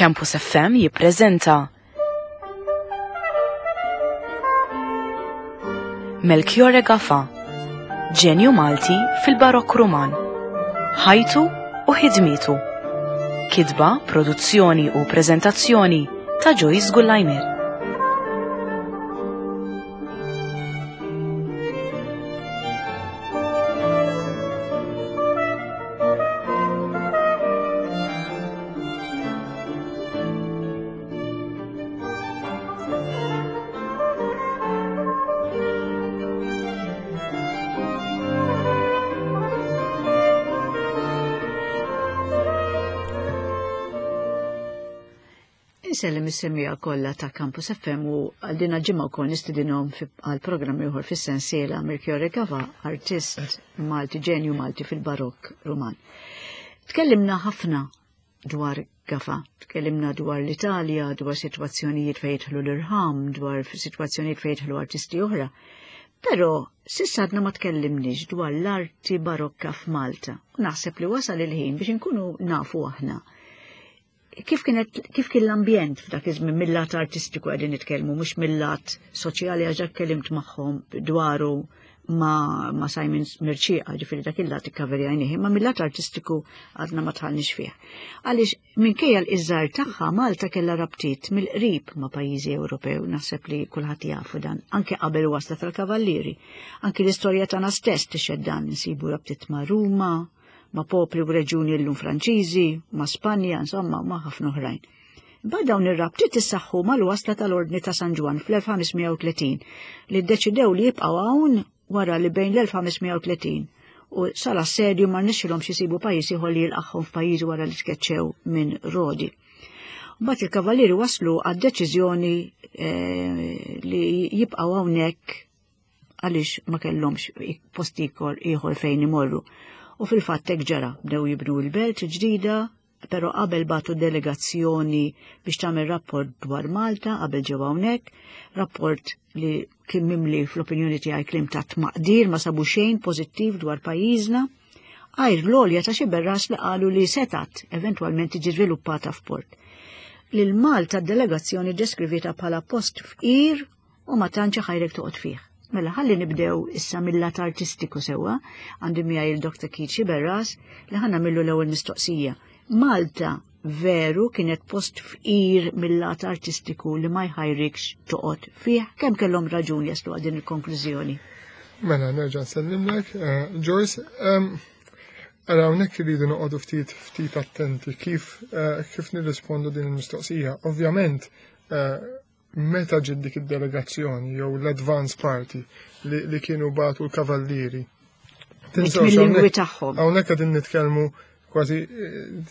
Campus FM jippreżenta Melchiorre Gafa, ġenju Malti fil-Barokk Ruman, ħajtu u ħidmietu. Kitba, produzzjoni u preżentazzjoni ta' Joyce Gullajmir. Insellem is-semmiegħa kollha ta' Campus FM u għal din ġimgħa wkoll nistidinhom għal programm ieħor fis-sensiela Melchiorre Gava, artist Malti, ġenju Malti fil-Barokk Ruman. Tkellimna ħafna dwar Gafa, tkellimna dwar l-Italja, dwar sitwazzjonijiet fejn jidħlu l-irħam, dwar sitwazzjonijiet fejn jidħlu artisti oħra. Però s'issa għadna ma tkellimniex dwar l-arti barokka f'Malta. U naħseb li wasal il-ħin biex inkunu nafu aħna kif kienet kif kien l-ambjent f'dak iż-żmien mill-lat artistiku qegħdin nitkellmu mhux mill-lat soċjali għax dak kellimt magħhom dwaru ma, ma Simon Mirċieqa, ġifieri dak il-lat ikkaverjajnih, imma mill-lat artistiku għadna ma tħallniex fih. Għaliex minkejja l-iżżar tagħha Malta kellha rabtiet mill-qrib ma' pajjiżi Ewropew, naħseb li kulħadd jafu dan, anke qabel wasla tal-Kavallieri. Anke l-istorja tagħna stess tixhed dan, insibu rabtiet ma' Ruma, ma' popli u reġjuni llum Franċiżi, ma' Spanja, insomma, ma' ħafna oħrajn. Imbagħad dawn ir-rabtiet issaħħu mal-wasla tal-Ordni ta' San Ġwann fl-1530 li ddeċidew li jibqgħu hawn wara li bejn l-1530 u sal-assedju ma rnexxilhomx isibu pajjiż ieħor li jilqagħhom f'pajjiżi wara li tkeċċew minn Rodi. Mbagħad il-kavallieri waslu għad-deċiżjoni eh, li jibqgħu hawnhekk għaliex ma kellhomx post ieħor fejn imorru. U fil-fatt hekk ġara, bdew jibnu l-belt ġdida, però qabel batu delegazzjoni biex tagħmel rapport dwar Malta qabel ġew hawnhekk, rapport li kien mimli fl-opinjoni tiegħi klim ta' tmaqdir ma sabu xejn pożittiv dwar pajjiżna, għajr l-għolja ta' xi berras li qalu li setat eventwalment tiġi żviluppata f'port. Lil Malta d-delegazzjoni deskrivieta bħala post fqir u ma tantx iħajrek toqgħod fih. Mela ħalli nibdew issa mill-lat artistiku sewwa, għandi miegħi il-Dr. Keith Sciberras li ħa nagħmillu l-ewwel mistoqsija. Malta veru kienet post fqir mill-lat artistiku li ma jħajrikx toqgħod fih, kemm kellhom raġun jaslu għal din il-konklużjoni? Mela, nerġa' nsellimlek, eh, Joyce. Ara hawnhekk irridu noqogħdu ftit ftit attenti kif eh, kif nirrispondu din il-mistoqsija. Ovvjament, eh, meta ġiet dik id-delegazzjoni jew l-advance party li, li kienu batu l-kavallieri. Mill-lingwi tagħhom. Hawnhekk qegħdin nitkellmu kważi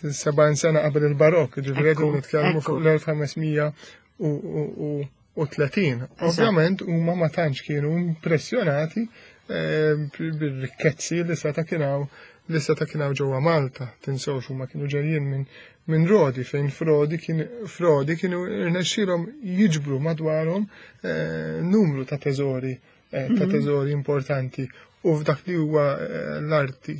70 eh, sena qabel il-barokk, ġifieri qegħdin nitkellmu fuq l-1530. Ovvjament huma ma tantx kienu impressjonati eh, bir-rikkezzi li seta' kien hawn li seta' kien hawn ġewwa Malta. Tinsewx huma kienu ġejjin minn minn Rodi fejn Frodi kien Frodi kienu rnexxielhom jiġbru madwarhom eh, numru ta' teżori eh, ta' mhm. teżori importanti u f'dak li huwa eh, l-arti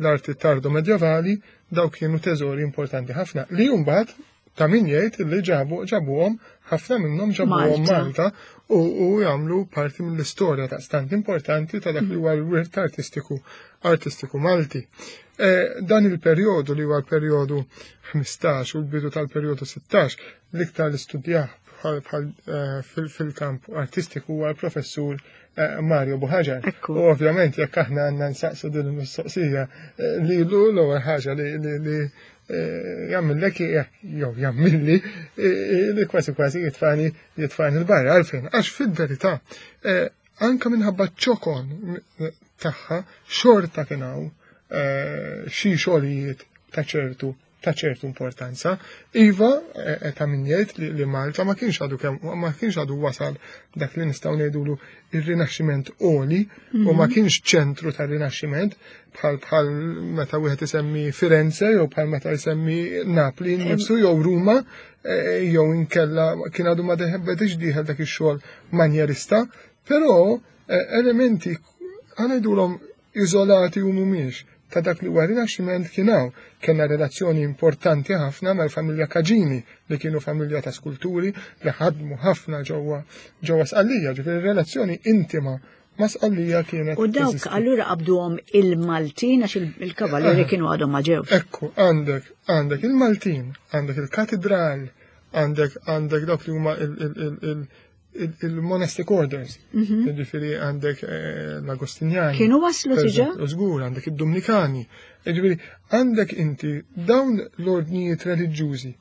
l-arti tardo medjevali dawk kienu teżori importanti ħafna li mbagħad ta' min jgħid li ġabu ġabuhom ħafna minnhom ġabuhom Malta u, u jagħmlu parti mill-istorja ta' stant importanti ta' dak li huwa l-wirt artistiku artistiku Malti. E, dan il-perjodu li huwa l-perjodu 15 u l-bidu tal-perjodu 16 l-iktar li studjah bħal eh, fil-kamp artistiku huwa l-professur eh, Mario Buħaġar. U ovvjament jekk aħna għandna nsaqsu din il-mistoqsija eh, li l-ewwel ħaġa li jagħmillek jew jagħmilli li kważi kważi jitfani jitfani l-barra għalfejn għax fil-verità anka minħabba ċokon tagħha xorta kien hawn xi xogħlijiet ta' ċertu ta' ċertu importanza. Iva, e, e, ta' min jgħid li, li Malta ma kienx għadu kemm ma kienx għadu wasal dak li nistgħu ngħidulu ir-rinaxximent oli u ma mhm. kienx ċentru tar-rinaxximent bħal bħal meta wieħed isemmi Firenze jew bħal meta jsemmi Napli nnifsu jew Ruma e, jew inkella kien għadu ma bedix dieħel dak ix-xogħol manjerista, però e, elementi ngħidulhom iżolati u mhumiex. ta' dak li huwa Rinaxximent kien hawn. Kellna relazzjoni importanti ħafna mal-familja Caġini li kienu familja ta' skulturi li ħadmu ħafna ġewwa ġewwa Sqallija, ġifieri relazzjoni intima ma' Sqallija kienet. U dawk allura qabduhom il-Maltin għax il-kavallieri eh. kienu għadhom ma ġewx. Ekku, għandek għandek il-Maltin, għandek il-katedral, għandek għandek dawk li huma il-monastic orders, mhm. ġifiri għandek eh, l-Agostinjani. Kienu waslu tiġa? Żgur, għandek id-Dominikani. Ġifiri, għandek inti dawn l-ordnijiet reliġjużi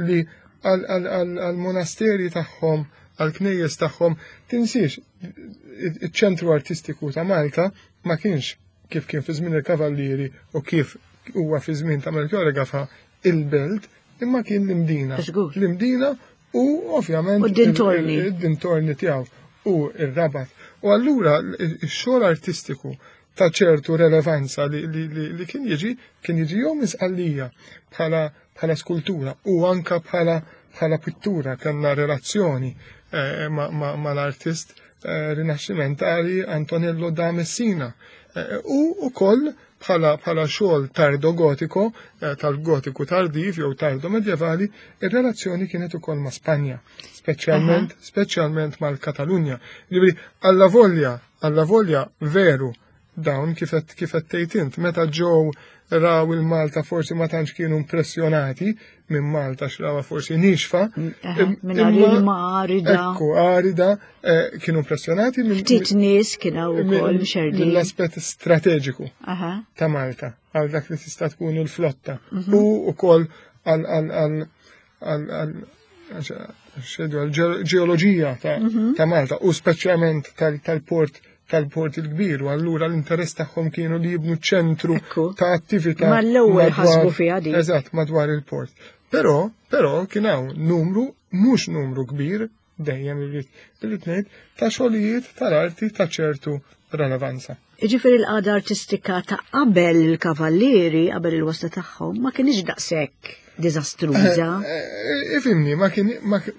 li għal-monasteri tagħhom, għal-knejjes tagħhom, tinsiex, iċ-ċentru artistiku ta' Malta ma kienx kif kien fi żmien il-Kavallieri u kif huwa fi żmien ta' Melchiorre Gafa il-belt, imma kien l-Imdina. L-Imdina u ovvjament u d-dintorni. Id-dintorni tiegħu u r-Rabat. U allura x-xogħol artistiku ta' ċertu relevanza li, li, li, li kien jiġi kien jiġi jew minn Sqallija bħala bħala skultura u anka bħala bħala pittura kellna relazzjoni eh, mal-artist ma, ma eh, rinaxximentali Antonello da Messina eh, u ukoll bħala bħala xogħol tardo gotiko, eh, tal-gotiku tardiv jew tardo medjevali, ir-relazzjoni kienet ukoll ma' Spanja, speċjalment speċjalment mal-Katalunja. Ġifieri alla volja, alla volja veru dawn kif qed kif qed tgħid int, meta ġew raw il-Malta forsi ma tantx kienu impressjonati minn Malta x'rawha forsi nixfa. Minn ilma arida. Ekku, arida, eh, kienu impressjonati minn. Ftit nies kienu wkoll mxerdin. Mill-aspett strateġiku ta' Malta għal dak li tista' tkun il-flotta mhm. u wkoll għal għal ġeoloġija mhm. ta' Malta u speċjalment tal-port tal-port il-kbir u allura l-interess tagħhom kienu li jibnu ċentru ta' attività. Mal-ewwel ħasbu fiha din. Eżatt, madwar il-port. Però, però kien hawn numru, mhux numru kbir, dejjem irrid irrid ngħid, ta' xogħlijiet tal-arti ta' ċertu relevanza. Jiġifieri l-qagħda artistika ta' qabel il-kavallieri, qabel il-wasla tagħhom, ma kienx daqshekk diżastruża. Eh, eh, ifimni, ma kien.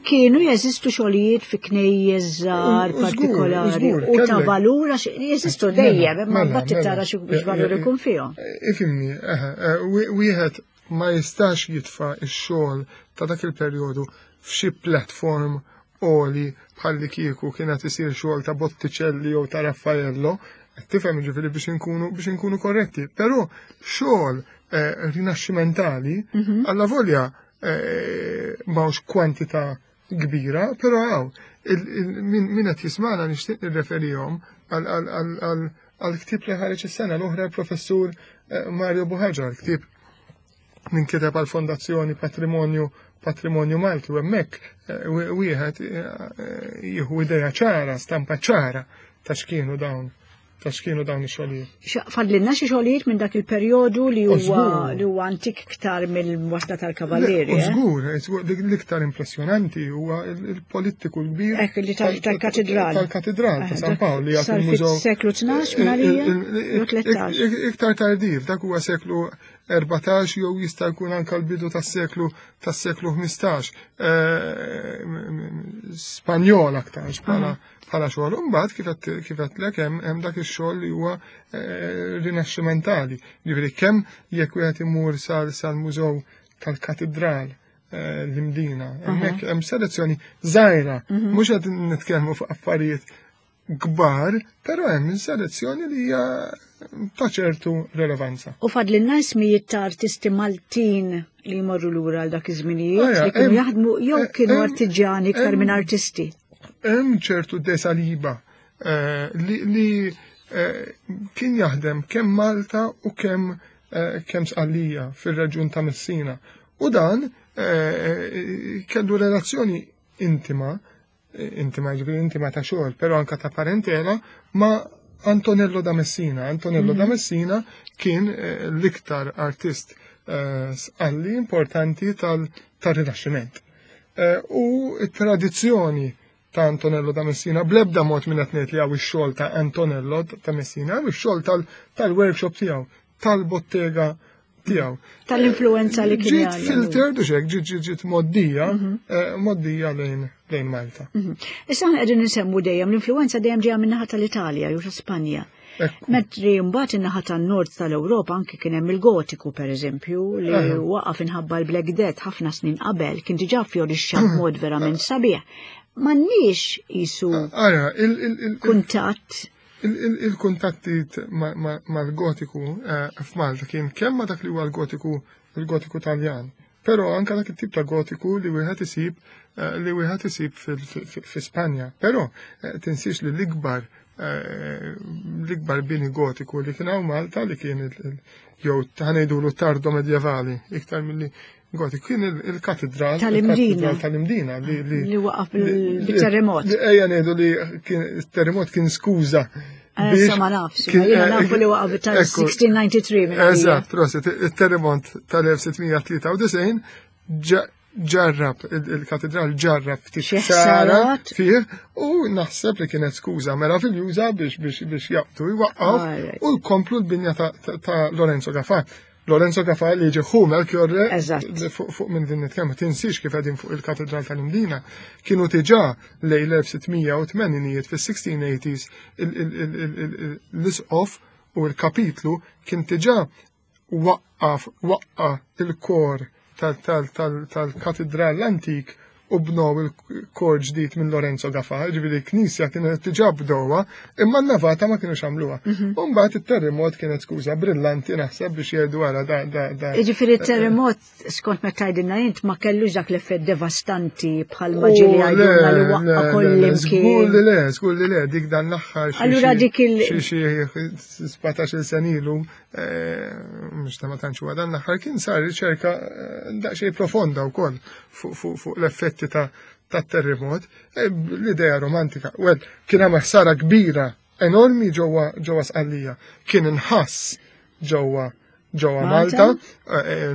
Kienu jeżistu xogħlijiet fi knejjes żgħar partikolari u ta' valur għax jeżistu mela, dejjem, imma mela, mbagħad mela. tara xi valur ikun fihom. Eh, ifimni, wieħed ma jistax jitfa' x-xogħol ta' dak il-perjodu f'xi platform oli bħalli kieku kienet isir xogħol ta' Botticelli jew ta' Raffaello, tifhem ġifieri biex inkunu biex inkunu korretti, però xogħol eh, rinaxximentali mhm. alla volja eh, m'hawnx kwantità kbira, però hawn min qed jismana nixtieq nirreferihom għal ktieb li ħareġ is-sena l-oħra l-professur eh, Mario Buħaġar, ktieb ninkiteb għal fondazzjoni Patrimonju Patrimonju Malti u hemmhekk eh, wieħed eh, jieħu idea ċara, stampa ċara ta' x'kienu dawn ta' x'kienu dawn ix-xogħlijiet. Fadlilna xi xogħlijiet minn dak il-perjodu li huwa li huwa antik iktar mill-wasla tal-kavallieri. Eh? Żgur, l-iktar impressjonanti huwa il-politiku l-kbir. Ekk li tal-katedral. Tal-katedral ta' San Pawl li għad il-mużew. Seklu 12 minn għalija? 13. Iktar tardiv, dak huwa seklu 14 jew jista' jkun anke l-bidu tas-seklu tas-seklu 15. Eh, Spanjol aktar bħala bħala xogħol. Imbagħad kif qed hemm hemm dak ix-xogħol li huwa eh, rinaxximentali. Ġifieri kemm jekk wieħed imur sal-mużew tal-katedral eh, l-Imdina, hemmhekk hemm selezzjoni żgħira, mhm. mhux qed nitkellmu fuq affarijiet kbar, però hemm selezzjoni li hija ta' ċertu relevanza. U fadlilna ismijiet ta' artisti Maltin li jmorru lura għal dak iż-żminijiet li kienu jaħdmu jew eh, kienu artiġjani iktar minn artisti. Hemm ċertu desaliba eh, li eh, kien jaħdem kemm Malta u kemm kemm Sqallija fir-reġjun ta' Messina. U dan kellu relazzjoni intima intima ġifieri intima ta' xogħol, però anka ta' parentela ma' Antonello da Messina. Antonello mm -hmm. da mhm. Messina kien eh, l-iktar artist eh, sqalli importanti tal-Rinaxximent. Eh, u t-tradizzjoni ta' Antonello da Messina, blebda mod minn qed ngħid li hawn ix-xogħol ta' Antonello ta' Messina, hawn ix-xogħol tal-workshop tiegħu, tal-bottega tiegħu. Tal-influenza li kien. Ġiet filtered u xek, ġiet ġiet ġiet moddija, mhm. eh, moddija lejn lejn Malta. Mhm. Issa aħna qegħdin insemmu dejjem l-influenza dejjem ġejja min-naħa tal-Italja jew ta' Spanja. Mentri mbagħad in-naħa tan-nord tal-Ewropa anki kien hemm il-Gotiku pereżempju li waqaf inħabba l-Black Death ħafna snin qabel kien diġà fjorixxa b'mod verament sabiħ. M'għandniex qisu kuntatt Il-kuntatti mal-Gotiku eh, f'Malta kien kemm ma dak li huwa l-Gotiku il-Gotiku Taljan, però anka dak it-tip ta' Gotiku li wieħed isib eh, li wieħed isib fi Spanja. Però eh, tinsiex li l-ikbar l-ikbar bini gotiku li kien hawn Malta li kien jew ħanejdulu tardo medjevali iktar milli gotiku kien il-katedral tal-Imdina tal-Imdina li li waqaf bil-terremot. Ejja ngħidu li kien il-terremot kien skuża eh, Issa ma nafx, jiena eh, nafu li waqaf tal-1693. Eżatt, proset, il-terremot tal-1693 ġarrab, il-katedral ġarrab ftit ħsara fih u naħseb li kienet skuża meraviljuża biex biex biex jaqtu jwaqqaw u jkomplu l-binja ta' Lorenzo Gafà. Lorenzo Gafà li ġi ħu Melchiorre fuq minn din nitkellmu tinsiex kif qegħdin fuq il-katedral tal-Imdina kienu diġà lejn l-1680 fis-1680s l-isqof u l-kapitlu kien diġà waqqaf waqqa il-kor tal-katidral l-antik u bnow il-kor ġdid minn Lorenzo Gafa, ġifieri knisja kienet diġà bdowha, imma n-navata ma kienux għamluha. Mhm. U mbagħad it-terremot kienet skuża brillanti naħseb biex jgħidu wara da da da. Jiġifieri terremot skont meta tgħidilna int ma kellux dak l-effett devastanti bħal ma ġieli għajdulna li waqqa kollimkien. Żgur li le, żgur li le, dik dan l-aħħar. Allura dik il xi 17-il senilu Eh, mhux ta' ma tantx huwa dan l-aħħar kien sar riċerka eh, daqsxejn profonda wkoll fuq l-effetti ta' tat-terremot, eh, l-idea romantika. Well, kien hemm ħsara kbira enormi ġewwa ġewwa Sqallija. Kien inħass ġewwa ġewwa Malta,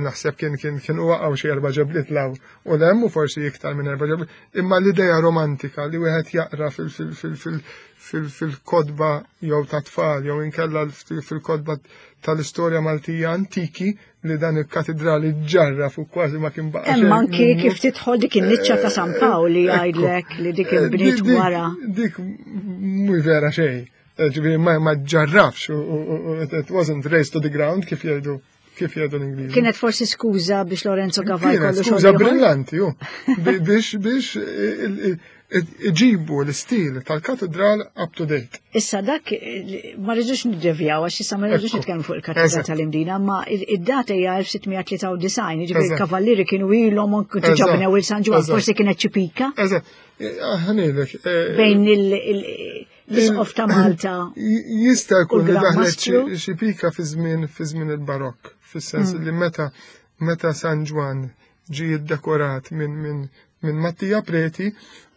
naħseb kien kien kien waqgħu xi erba' ġebliet law u lem u forsi iktar minn erba' ġebliet, imma l-idea romantika li wieħed jaqra fil-kotba jew ta' tfal jew inkella fil-kotba tal-istorja Maltija antiki li dan il-katidrali ġarra fuq kważi ma kien baqa'. Hemm anki kif tidħol dik in-niċċa ta' San Pawl li jgħidlek li dik eh, inbniet wara. Dik mhux vera xejn. Eh, ġifieri ma ġarrafx it wasn't raised to the ground kif jgħidu kif jgħidu l-Ingliżi. Kienet forsi skuża biex Lorenzo Cavalli kollu Skuża brillanti, ju. Biex biex iġibu l-istil tal-katedral up to date. Issa dak ma rridux niddevjaw għax issa ma rridux nitkellmu fuq il-katedral tal-Imdina, ma id-data hija 1693, jiġifieri il-kavallieri kienu ilhom diġà bnew il-San Ġwann, forsi kienet xi pika. Eżatt, ħanilek. Eh, Bejn il- L-Isqof ta' Malta. Jista' jkun li daħlet xi pika fi żmien fi żmien il-Barokk, fis-sens mm. li meta meta San Ġwann ġie ddekorat minn min, min Mattia Preti,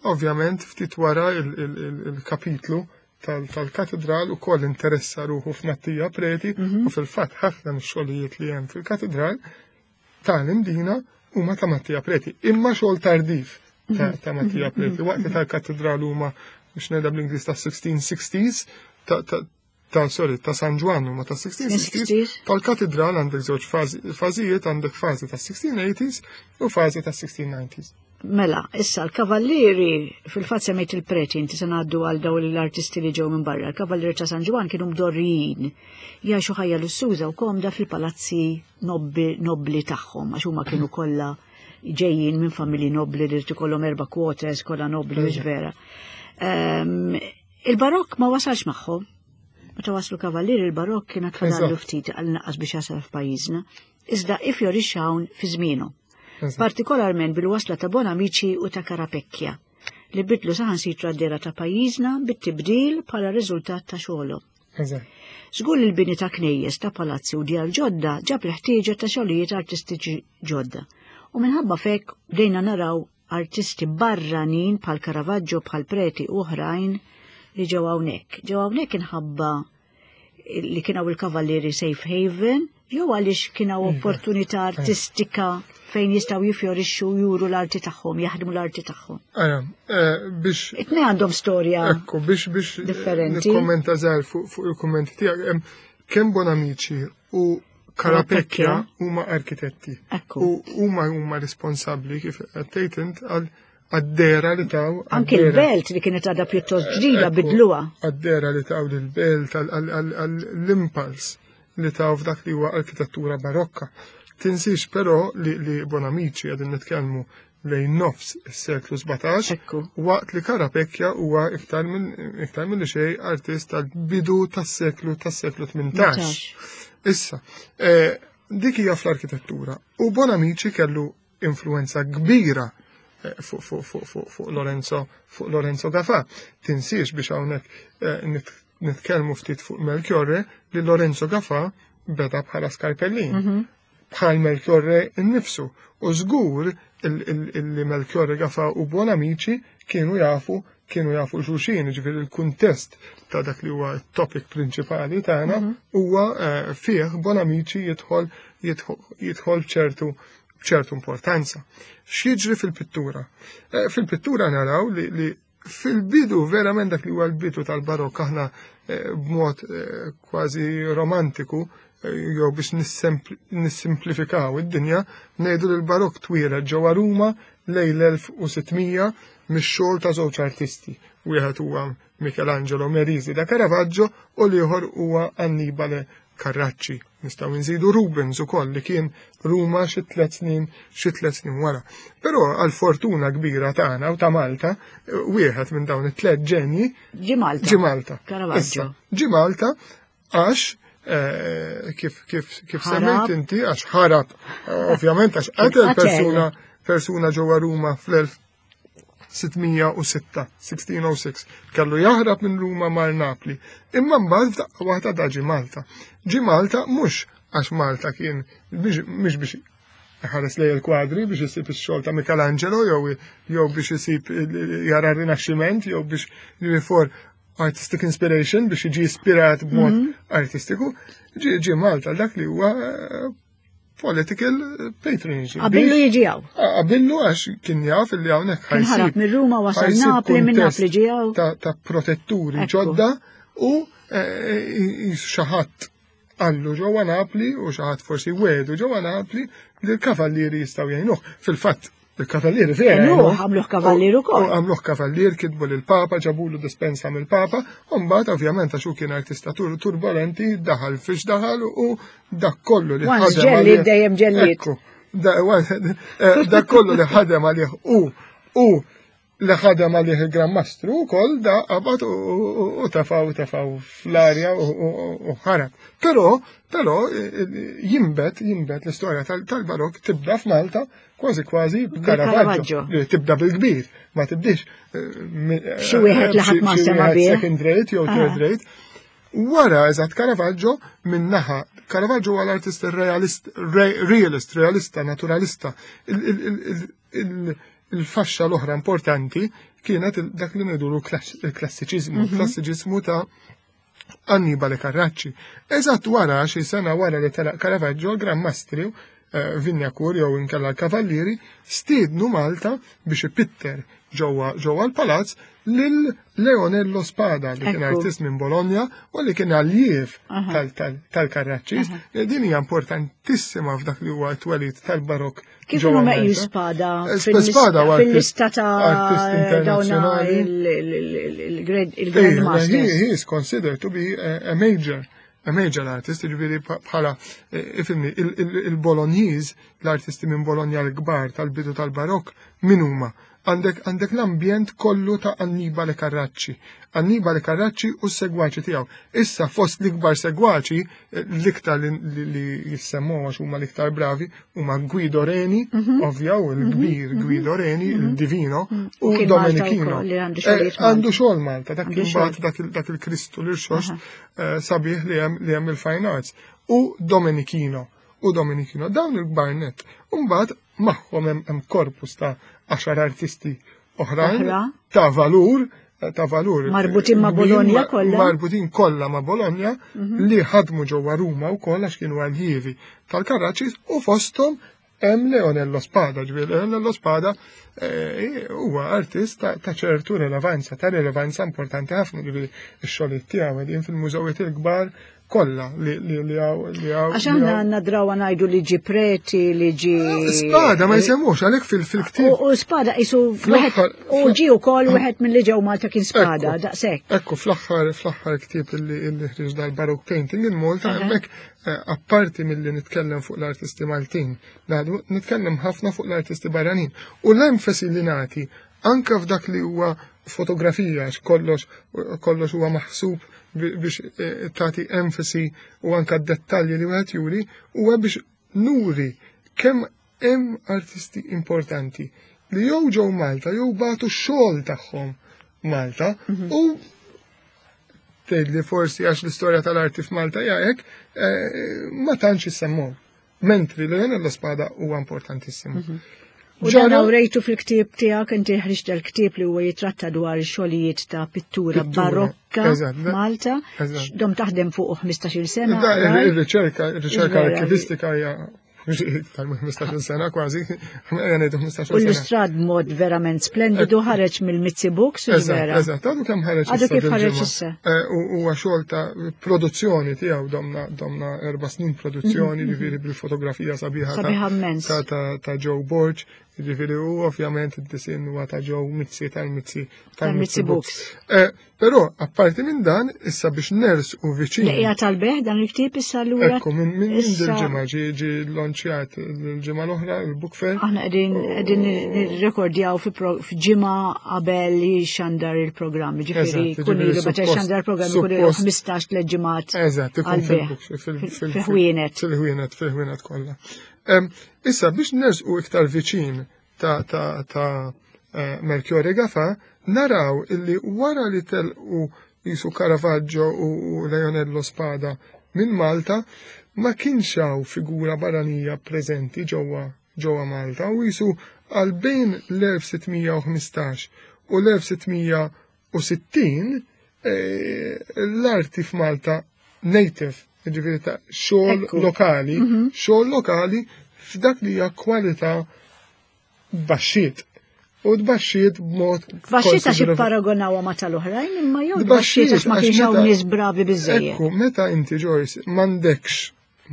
ovvjament ftit wara il-kapitlu tal-katedral u koll interessa ruħu f'Mattia Preti mhm. u fil-fatt ħafna mix-xogħlijiet li hemm fil-katedral tal-Imdina huma ta' Mattia Preti, imma xogħol tardiv ta' Mattia Preti. Waqt li tal-kattedral huma biex ngħidha bl-Ingliż ta' 1660s, ta' sorry, ta' San Ġwann huma ta' 1660s, tal-katedral għandek żewġ fażijiet, għandek fażi ta' 1680s u fażi ta' 1690s. Mela, issa l-kavallieri, fil-fatt semmejt il-preti, inti se ngħaddu għal dawn l-artisti li ġew minn barra. Il-kavallieri ta' San Ġwann kienu mdorrijin jgħixu ħajja lussuża u komda fil-palazzi nobbli tagħhom għax huma kienu kollha ġejjin minn familji nobbli li ikollhom erba' quarters kollha nobbli mhux vera. Ehm, il-barokk ma wasalx magħhom. Meta waslu kavallieri il-barokk kien fadallu ftit għal naqas biex jasal f'pajjiżna. Iżda ifjorixxa hawn fi żmienu. Partikolarment bil-wasla ta' Bonamici u ta' Karapecchia li bidlu saħansitra d-dera ta' pajjiżna bit-tibdil bħala riżultat ta' xogħolhom. Żgur li l-bini ta' knejjes, ta' palazzi u djar ġodda ġab l-ħtieġa ta' xogħlijiet artistiċi ġodda. U minħabba f'hekk bdejna naraw artisti barranin bħal Caravaggio, bħal Preti u oħrajn li ġew hawnhekk. Ġew hawnhekk inħabba li kien hawn il-Kavallieri Safe Haven jew għaliex kien hawn iva. opportunità artistika fejn jistgħu jifjorixxu juru l-arti tagħhom, jaħdmu l-arti tagħhom. Ara, eh, biex. Itnej għandhom storja. Ekku, biex biex differenti. Nikkommenta żgħar fuq il-kummenti tiegħek. Kemm Bonamici u Karapekja huma arkitetti. Ekku. U huma huma responsabbli kif qed tgħid int għal Għad-dehra li taw. Anki l-belt li kienet għadha pjuttost ġdida bidluha. Għad-dehra li taw lill-belt, għall-impulse li taw f'dak li huwa arkitettura barokka. Tinsix però li Bonamici qegħdin nitkellmu lejn nofs is-seklu 17, waqt li Carapecchia huwa iktar minn iktar milli xejn artist tal-bidu tas-seklu tas-seklu 18. Issa, eh, dik hija fl-arkitettura. U Bonamici kellu influenza kbira eh, fuq Lorenzo fuq Lorenzo Gafà. Tinsiex biex hawnhekk eh, nitkellmu ftit fuq Melchiorre li Lorenzo Gafà beda bħala skarpellin. Mhm. Bħal Melchiorre innifsu. U żgur li Melchiorre Gafà u Buonamici kienu jafu kienu jafu xulxin, ġifieri il-kuntest ta' dak li huwa t-topic prinċipali tagħna mhm. huwa eh, fih Bonamici jidħol jidħol ċertu b'ċertu importanza. X'jiġri fil-pittura? Eh, fil-pittura naraw li, li fil-bidu, verament dak li huwa l-bidu tal-barokk aħna eh, b'mod eh, kważi romantiku jew biex nissimplifikaw id-dinja, ngħidu li l-barokk twieled ġewwa Ruma lejn l-1600 mix-xogħol ta' żewġ artisti. Wieħed huwa Michelangelo Merisi da Caravaggio u l-ieħor huwa Annibale Carracci. Nistgħu nżidu Rubens ukoll li kien Ruma xi tliet snin xi tliet snin wara. Però għal fortuna kbira tagħna u ta' Malta, wieħed minn dawn it-tliet ġenji ġi Malta. Ġi Malta. Caravaggio. Ġi Malta għax eh, kif kif kif semmejt inti għax ħarab ovvjament għax qatel persuna persuna ġewwa Ruma fl-1000 606, 1606, kellu jaħrab minn Ruma mar Napli. Imma mbagħad f'daqqa waħda da ġi Malta. Ġi Malta mhux għax Malta kien mhux biex ħares lej il-kwadri biex isib ix-xogħol ta' Michelangelo jew jew biex isib jara r-Rinaxximent jew biex for artistic inspiration biex jiġi ispirat b'mod mhm. artistiku. Ġi Malta dak li huwa eh, political patronage. Qabillu jiġi hawn. Qabillu għax kien jaf li hawnhekk ħajsib. Ħarab minn Ruma wasal Napli minn Napli ġi hawn. Ta' protetturi ġodda u eh, eh, xi ħadd għallu ġewwa Napli u xi ħadd forsi wedu ġewwa Napli li l-kavallieri jistgħu jgħinuh. Fil-fatt Il-kavallieri vera. Għamluh kavallier ukoll. Għamluh kavallier, kitbu lill-Papa, ġabulu dispensa mill-Papa, u mbagħad ovvjament għax hu kien artista turbolenti, daħal fiex daħal u dak kollu li ħadem. Ġelli dejjem ġelliet. Eh, dak kollu li ħadem għalih u u li ħadem għalih il-Gran Mastru wkoll da qabad u tafaw tafaw fl-arja u ħarab. Però, però jimbet, jimbet l-istorja tal-barok tibda f'Malta kważi kważi b'Caravaggio. Tibda bil-kbir, ma tibdix. Eh, xi wieħed li ħadd ma sema bih. Second rate jew third ah. rate. Wara eżatt Caravaggio minn naħa, Caravaggio huwa l-artist realist, realist, realista, naturalista. Il-faxxa l-oħra importanti kienet dak li ngħidulu il-klassiċiżmu, mhm. klassiċiżmu ta' Annibale Carracci. Eżatt wara xi sena wara li telaq Caravaggio, Gran Mastri eh, Vinjakur jew inkella l-Kavallieri stiednu Malta biex ipitter ġewwa ġewwa l-palazz lil Leonello Spada li kien artist minn Bologna u li kien alljiev tal-Carracci. Din hija importantissima f'dak li huwa t-twelid tal-barok Kif hu meqjus Spada eh, fil-lista ta' dawna il-Grand Masters? He is considered to be a major a major artist, ġifieri bħala eh, ifimni, il-Bolognese, l-artisti minn Bologna l-kbar tal-bidu tal-barok, min huma? Għandek għandek l-ambjent kollu ta' Annibale Carracci. Annibale Carracci u s-segwaċi tiegħu. Issa fost l-ikbar segwaċi, eh, l-iktar li jissemmu għax huma l-iktar bravi, huma Guido Reni, mhm. ovvja, u l-kbir mhm, mhm. Guido Reni, il-Divino, u Domenichino. Eh, għandu xogħol Malta, dak il dak il-Kristu l-irxoxt eh, sabiħ li hemm il-Fine Arts. U Domenichino, u Domenichino, dawn il-kbar net. Umbagħad magħhom hemm korpus ta' għaxar artisti oħrajn ta' valur ta' valur. Marbutin ma' Bologna kollha. Marbutin kollha ma' Bologna mhm. li ħadmu ġewwa Ruma wkoll għax kienu aljievi tal-Karraċis u fosthom hemm Leonello Spada, ġifieri Leonello Spada eh, huwa artist ta' ċertu rilevanza, ta' rilevanza importanti ħafna ġifieri x-xogħlijiet tiegħu qegħdin fil-mużewiet il-kbar. kollha li li li hawn li hawn. Għax aħna għandna drawa ngħidu li ġi preti, li ġi. Spada ma jsemmux għalhekk fil-ktieb. U spada isu u ġi wkoll wieħed minn li ġew Malta kien spada daqshekk. Ekku fl-aħħar fl-aħħar ktieb li ħriġ dal-Baroque Painting in Malta hemmhekk eh, apparti milli nitkellem fuq l-artisti Maltin, nitkellem ħafna fuq l-artisti barranin. U l-enfasi li nagħti anka f'dak li huwa fotografija għax kollox kollox huwa maħsub biex eh, tagħti enfasi u anka dettalji li wieħed juri huwa biex nuri kemm hemm artisti importanti li jew ġew Malta jew bagħtu x-xogħol tagħhom Malta mhm. u tgħid li forsi għax l-istorja tal-arti f'Malta hija hekk eh, ma tantx issemmuhom. Mentri Leonello Spada huwa importantissimu. Mhm. U dan rejtu fil-ktieb tiegħek inti ħriġt dal-ktieb li huwa jitratta dwar xogħlijiet ta' pittura barokka Malta. Dom taħdem fuq 15-il sena. Ir-riċerka, ir-riċerka arkivistika hija iktar minn 15 sena kważi, ngħidu 15 sena. U l-istrad mod verament splendidu ħareġ mill-Mizzi Books, vera. Eżatt, għadu kemm ħareġ. Għadu kif ħareġ issa. Eh, huwa xogħol ta' produzzjoni tiegħu domna domna erba' snin produzzjoni, mhm, ġifieri mhm. bil-fotografija sabiħa sabiħa immens ta' Joe Borg, ġifieri u ovvjament id-disin huwa ta' Joe Mizzi tal-Mizzi tal-Mizzi Books. Eh, Però, apparti minn dan, issa biex ners u viċin. Li tal-beħ dan il-ktieb issa lura. Ekku, minn minn dil-ġimgħa ġi ġi lonċjat l-ġimgħa l-oħra il-book fair. Aħna qegħdin qegħdin nirrekordjaw f'ġimgħa qabel li xandar il-programm, ġifieri kun ilu meta xandar il-programm ikun ilu 15 tliet ġimgħat. Eżatt, ikun fil-ħwienet. Fil-ħwienet, fil-ħwienet kollha. Issa biex ners u iktar viċin ta' ta' ta' eh, Melchiorre Gafa, naraw illi wara li telqu jisu Caravaggio u Leonello Spada minn Malta, ma kienx hawn figura barranija preżenti ġewwa ġewwa Malta u jisu għal bejn l-1615 u l-1660 eh, l-arti f'Malta native, ġifieri ta' xogħol lokali, mhm. xogħol lokali f'dak li hija kwalità baxxiet. U tbaxxiet b'mod. Tbaxxiet għax ipparagonawha ma tal-oħrajn imma jew tbaxxiet għax ma kienx hawn nies bravi biżejjed. Ekku, meta inti Joyce m'għandekx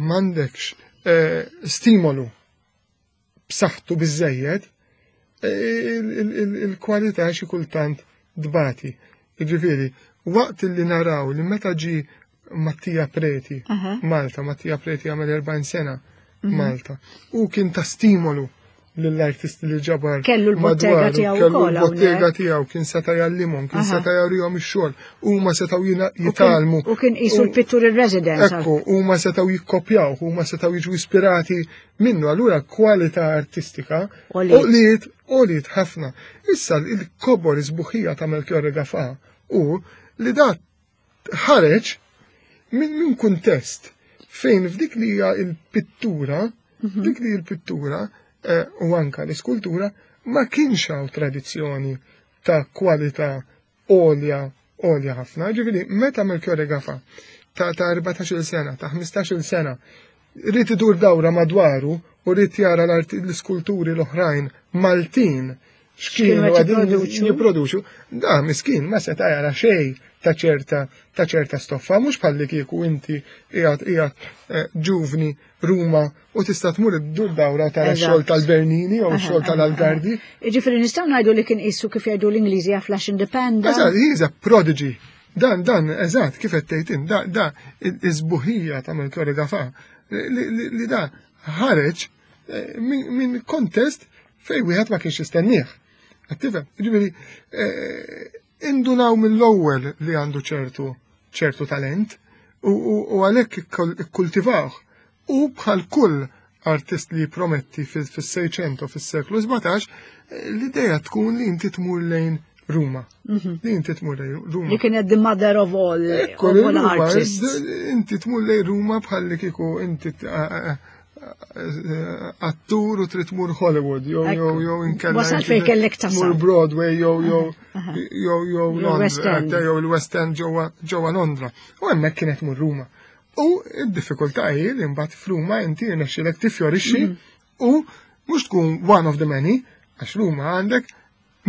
m'għandekx eh, stimolu b'saħħtu biżejjed, il-kwalità xi kultant dbati. Jiġifieri, waqt li naraw li meta ġi Mattia Preti, Malta, Mattia Preti għamel 40 sena mhm. Malta, u kien ta' stimolu lill-artisti li ġabar. Kellu l-bottega tiegħu kellu l-bottega tiegħu kien seta' jallimhom, kien seta' jarihom ix-xogħol, huma setgħu jitalmu. U kien qisu l-pittur ir-residence. Ekku, huma setgħu jikkopjaw, huma setgħu jiġu ispirati minnu allura kwalità artistika għoliet għoliet ħafna. Issa il-kobor iżbuħija ta' Melchiorre Gafà u li dat ħareġ minn min kuntest fejn f'dik li hija l-pittura, mhm. dik li l-pittura eh, u anka l-iskultura ma kienx hawn tradizzjoni ta' kwalità għolja għolja ħafna. Ġifieri meta Melchiorre Gafa ta' ta' 14-il sena, ta' 15-il sena, rrid idur dawra madwaru u rrid jara l-iskulturi l-oħrajn Maltin x'kienu għadin jipproduċu, da miskin ma seta' jara xejn ta' ċerta ta' ċerta stoffa, mhux bħalli kieku inti qiegħed qiegħed eh, ġuvni Ruma u tista' tmur iddur dawra tara x-xogħol tal-Bernini jew x-xogħol tal-Algardi. Jiġifieri nistgħu ngħidu li kien qisu kif jgħidu l-Ingliżi a flash in the pan. Eżatt, he is a prodigy. Dan, dan, eżatt, kif qed tgħid da, da, iż-żbuħija ta' Melchiorre Gafà li da ħareġ eh, minn kontest fejn wieħed ma kienx jistennieh. Qed tifhem? Jiġifieri eh, indunaw mill-ewwel li għandu ċertu ċertu talent u għalhekk ikkultivawh. U bħal kull artist li jipprometti fis-Seicento fis-seklu 17, l-idea tkun li inti tmur lejn Ruma. Mhm. Li inti tmur lejn Ruma. Li kienet the mother of all, of all artists. Inti tmur lejn Ruma bħal li kieku inti attur u trid tmur Hollywood jew jew jew inkella. Wasal fejn kellek tasal. Tmur Broadway jew jew jew jew Londra jew il-West End ġewwa Londra. U hemmhekk kienet mur Ruma. U d-diffikultà hi li mbagħad f'Ruma inti jirnexxilek tifjorixxi mhm. u mhux tkun one of the many, għax Ruma għandek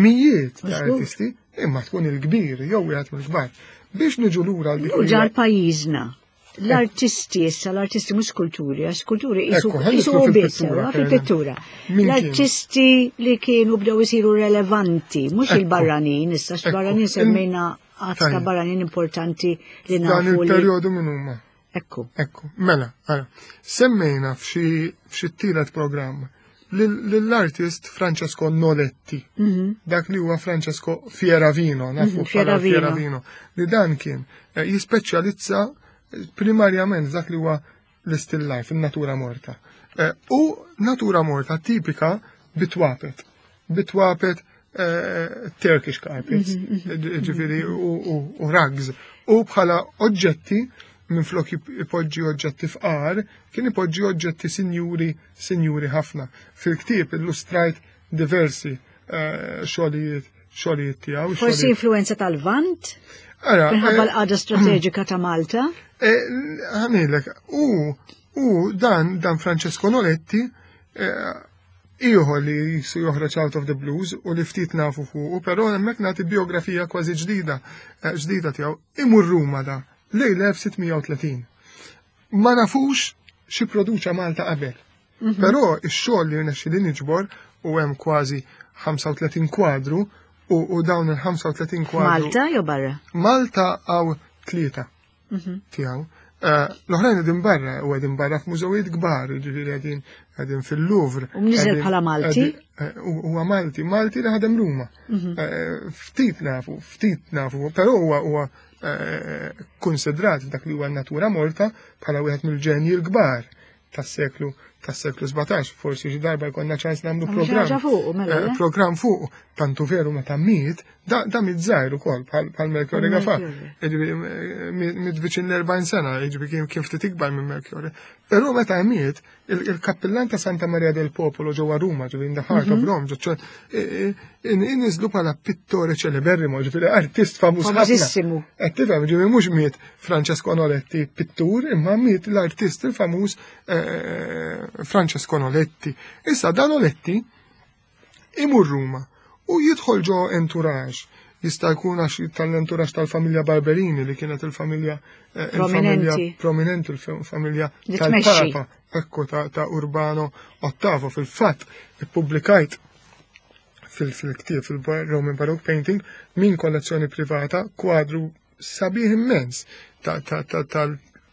mijiet ta' artisti, imma tkun il-kbir jew wieħed mill-kbar. Biex niġu lura l Ġar pajjiżna. L-artisti issa, l-artisti mhux skulturi, għax skulturi jisu biss fil-pittura. L-artisti li kienu bdew isiru relevanti, mhux il-barranin, issa x-barranin semmejna għadd ta' barranin importanti li nafu. Dan il-perjodu minn huma. Ekku. Ekku, mela, ara. Semmejna f'xi tielet programm lill-artist Francesco Noletti, mhm. dak li huwa Francesco Fieravino, nafu mhm, bħala Fieravino, li dan kien eh, jispeċjalizza eh, primarjament dak li huwa l-still life, il-natura morta. Eh, u natura morta tipika bitwapet. Bitwapet Turkish carpets, mhm, ġifiri u rugs. U bħala oġġetti, minn flok ipoġġi oġġetti fqar, kien ipoġġi oġġetti sinjuri, sinjuri ħafna. Fil-ktieb illustrajt diversi eh, xogħlijiet xogħlijiet tiegħu. Forsi influenza tal-Vant? Ara, Minħabba eh, l-qagħda strateġika ta' Malta? Eh, ħanilek, u dan dan Francesco Noletti ieħor li jisu joħroġ out of the blues u li ftit nafu fuqu, però hemmhekk nagħti biografija kważi ġdida eh, ġdida tiegħu. Imur Ruma da lejn l-1630. Ma nafux xi produċa Malta qabel. Mhm. Però ix-xogħol li rnexxi li niġbor u hemm kważi 35 kwadru u dawn il-35 kwadru. Malta jew barra? Malta għaw tlieta. Mhm. tiegħu. Eh, l-oħrajn qegħdin barra u qegħdin barra f'mużewijiet kbar, jiġifieri qegħdin qegħdin fil-Louvre. U mniżel bħala Malti? Eh, huwa Malti, Malti li ħadem Ruma. Mhm. Eh, ftit nafu, ftit nafu, però huwa huwa konsidrat f'dak li huwa natura morta bħala wieħed mill-ġenji l-kbar tas-seklu tas-seklu 17, forsi xi darba jkollna ċans nagħmlu programm. Mela, eh, programm fuq, tantu veru meta miet, da, da miet żgħir ukoll bħal Melchiorre Gafa. Eh, miet viċin l-40 sena, jiġifieri kien ftit ikbar minn Melchiorre. Però meta miet, il-kappillan ta' Santa Maria del Popolo ġewwa Ruma, ġifieri in the heart of mhm. Rome, ġo inniżlu bħala pittore celeberrimo, ġifieri artist famuż ħafna. Qed tifhem, ġifieri mhux miet Francesco Noletti pittur, imma miet l-artist il-famuż eh, eh, Francesco Noletti. Issa dan Noletti imur Ruma u jidħol ġo entourage jista' jkun għax tal-entourage tal-familja Barberini li kienet il-familja eh, il-familja prominenti il-familja tal-Papa ekku ta' Urbano Ottavo fil-fatt ippubblikajt fil-ktieb fil-Roman Baroque Painting minn kollezzjoni privata kwadru sabiħ immens ta'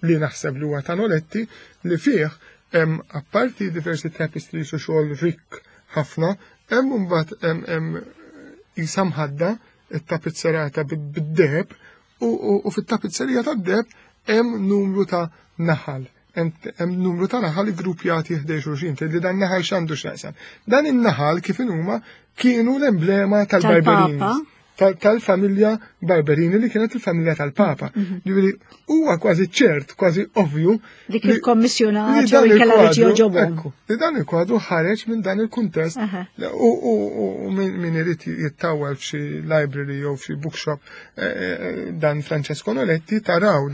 li naħseb li huwa ta' Noletti li fih hemm apparti diversi tapestries u xogħol rikk ħafna, hemm imbagħad hemm qisha mħadda it-tapizzerata bid-deheb u fit-tapizzerija tad-deheb hemm numru ta' naħal. Hemm numru ta' naħal iggruppjati ħdej xulxin, tgħidli dan naħal x'għandu x'jaqsam. Dan in-naħal kif huma kienu l-emblema tal-Barberini. Tal-familja Barberini li kienet il-familja tal-Papa. Mhm. Ġifieri huwa kważi ċert, kważi ovvju. Li kien kommissjonat u kellha li joġobhom. Li dan il-kwadru ħareġ minn dan il-kuntest u min irid jittawwal f'xi library jew f'xi bookshop eh, eh, dan Francesco Noletti taraw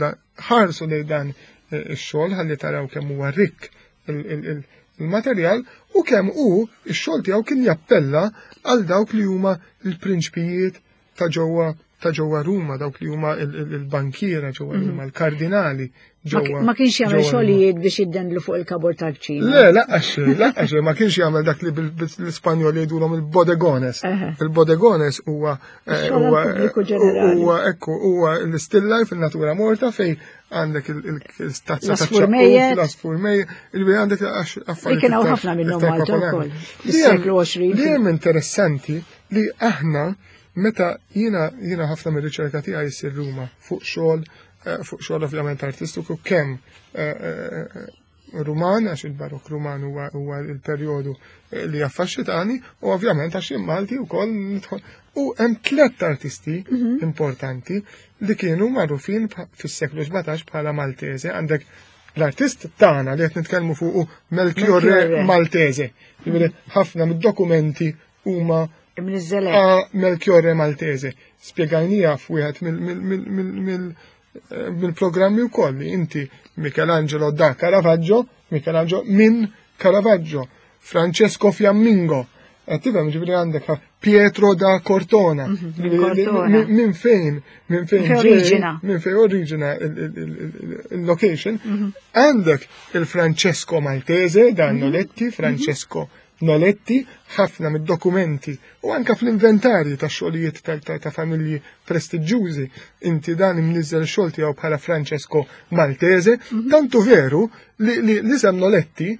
ħarsu lejn dan eh, ix-xogħol ħalli taraw kemm huwa rikk il-materjal u kemm hu x-xogħol tiegħu kien jappella għal dawk li huma l-prinċpijiet ta' ġewwa ta' ġewwa Ruma, dawk li huma il-bankiera ġewwa mhm. Ruma, l-kardinali ġewwa. Ma kienx jagħmel xogħlijiet biex jiddendlu fuq il-kabur tal-kċina. Le, laqax, laqax, ma kienx jagħmel dak li bil-Ispanjol jgħidulhom il-bodegones. Il-bodegones huwa eh, huwa ekku huwa l-still life il-natura morta fej għandek il-stazza ta' l-asfur mejjet, il għandek affarijiet. Kien hawn ħafna minnhom Malta wkoll. Fis-seklu 20. Li hemm interessanti li aħna meta jiena jiena ħafna mir-riċerka tiegħi jsir Ruma fuq xogħol eh, fuq xogħol ovvjament artistiku kemm eh, eh, Ruman, għax il-Barok Ruman huwa il-perjodu li affaxxitani, u ovvjament għax jien Malti wkoll nidħol. U hemm tliet artisti mhm. importanti li kienu magħrufin fis-seklu 17 bħala Maltese. Għandek l-artist tagħna li qed nitkellmu fuqu Melchiorre Maltese. Jiġifieri ħafna mid-dokumenti huma Melchiorre Maltese. Spjegajnija f'wieħed mill-programmi wkoll li inti Michelangelo da Caravaggio, Michelangelo minn Caravaggio, Francesco Fiammingo. Qed tifhem ġifieri għandek Pietro da Cortona. Mhm, minn fejn, minn fejn oriġina. Minn fejn oriġina il-location. Mhm. Għandek il-Francesco Maltese da mhm. Noletti, Francesco Noletti, ħafna mid-dokumenti u anka fl-inventarji ta' xogħlijiet ta' familji prestiġjużi inti dan imniżżel xogħol tiegħu bħala Francesco Maltese, tantu veru li l-isem Noletti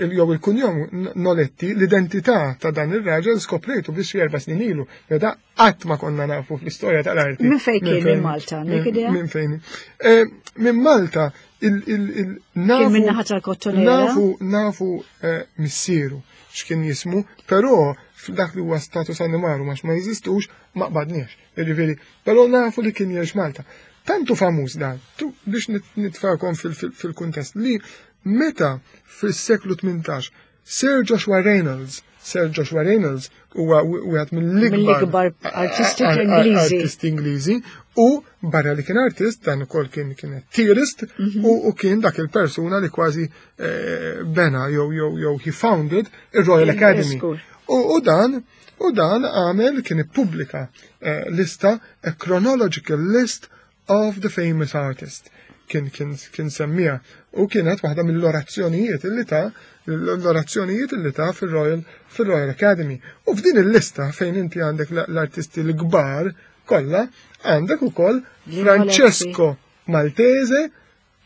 jew il-kunjom Noletti, l-identità ta' dan ir-raġel skoprejtu biex 4 snin ilu. Da qatt ma konna nafu fl-istorja tal-arti. Minn fejn kien minn Malta? Minn fejn? Eh, minn Malta il-nafu. Minn naħa tal-Kottonera. Nafu, nafu eh, missieru x'kien jismu, però f'dak li huwa status animarum għax ma jeżistux ma qbadniex. Jiġifieri, però nafu li kien jgħix Malta. Tantu famuż dan, biex nitfakom fil-kuntest li meta fis-seklu 18 Sir Joshua Reynolds, Sir Joshua Reynolds huwa wieħed mill-ikbar artisti Ingliżi. Artisti Ingliżi u barra li kien artist dan ukoll kien kien theorist u kien dak il-persuna li kważi eh, bena jew jew jew he founded il-Royal Academy. U dan u dan għamel kien ippubblika eh, lista a chronological list of the famous artist kien kien kien semmija u kienet waħda mill-orazzjonijiet illi ta' l-orazzjonijiet illi ta' fil-Royal fil-Royal Academy. U f'din il-lista fejn inti għandek l-artisti l-kbar kollha għandek ukoll Francesco Maltese,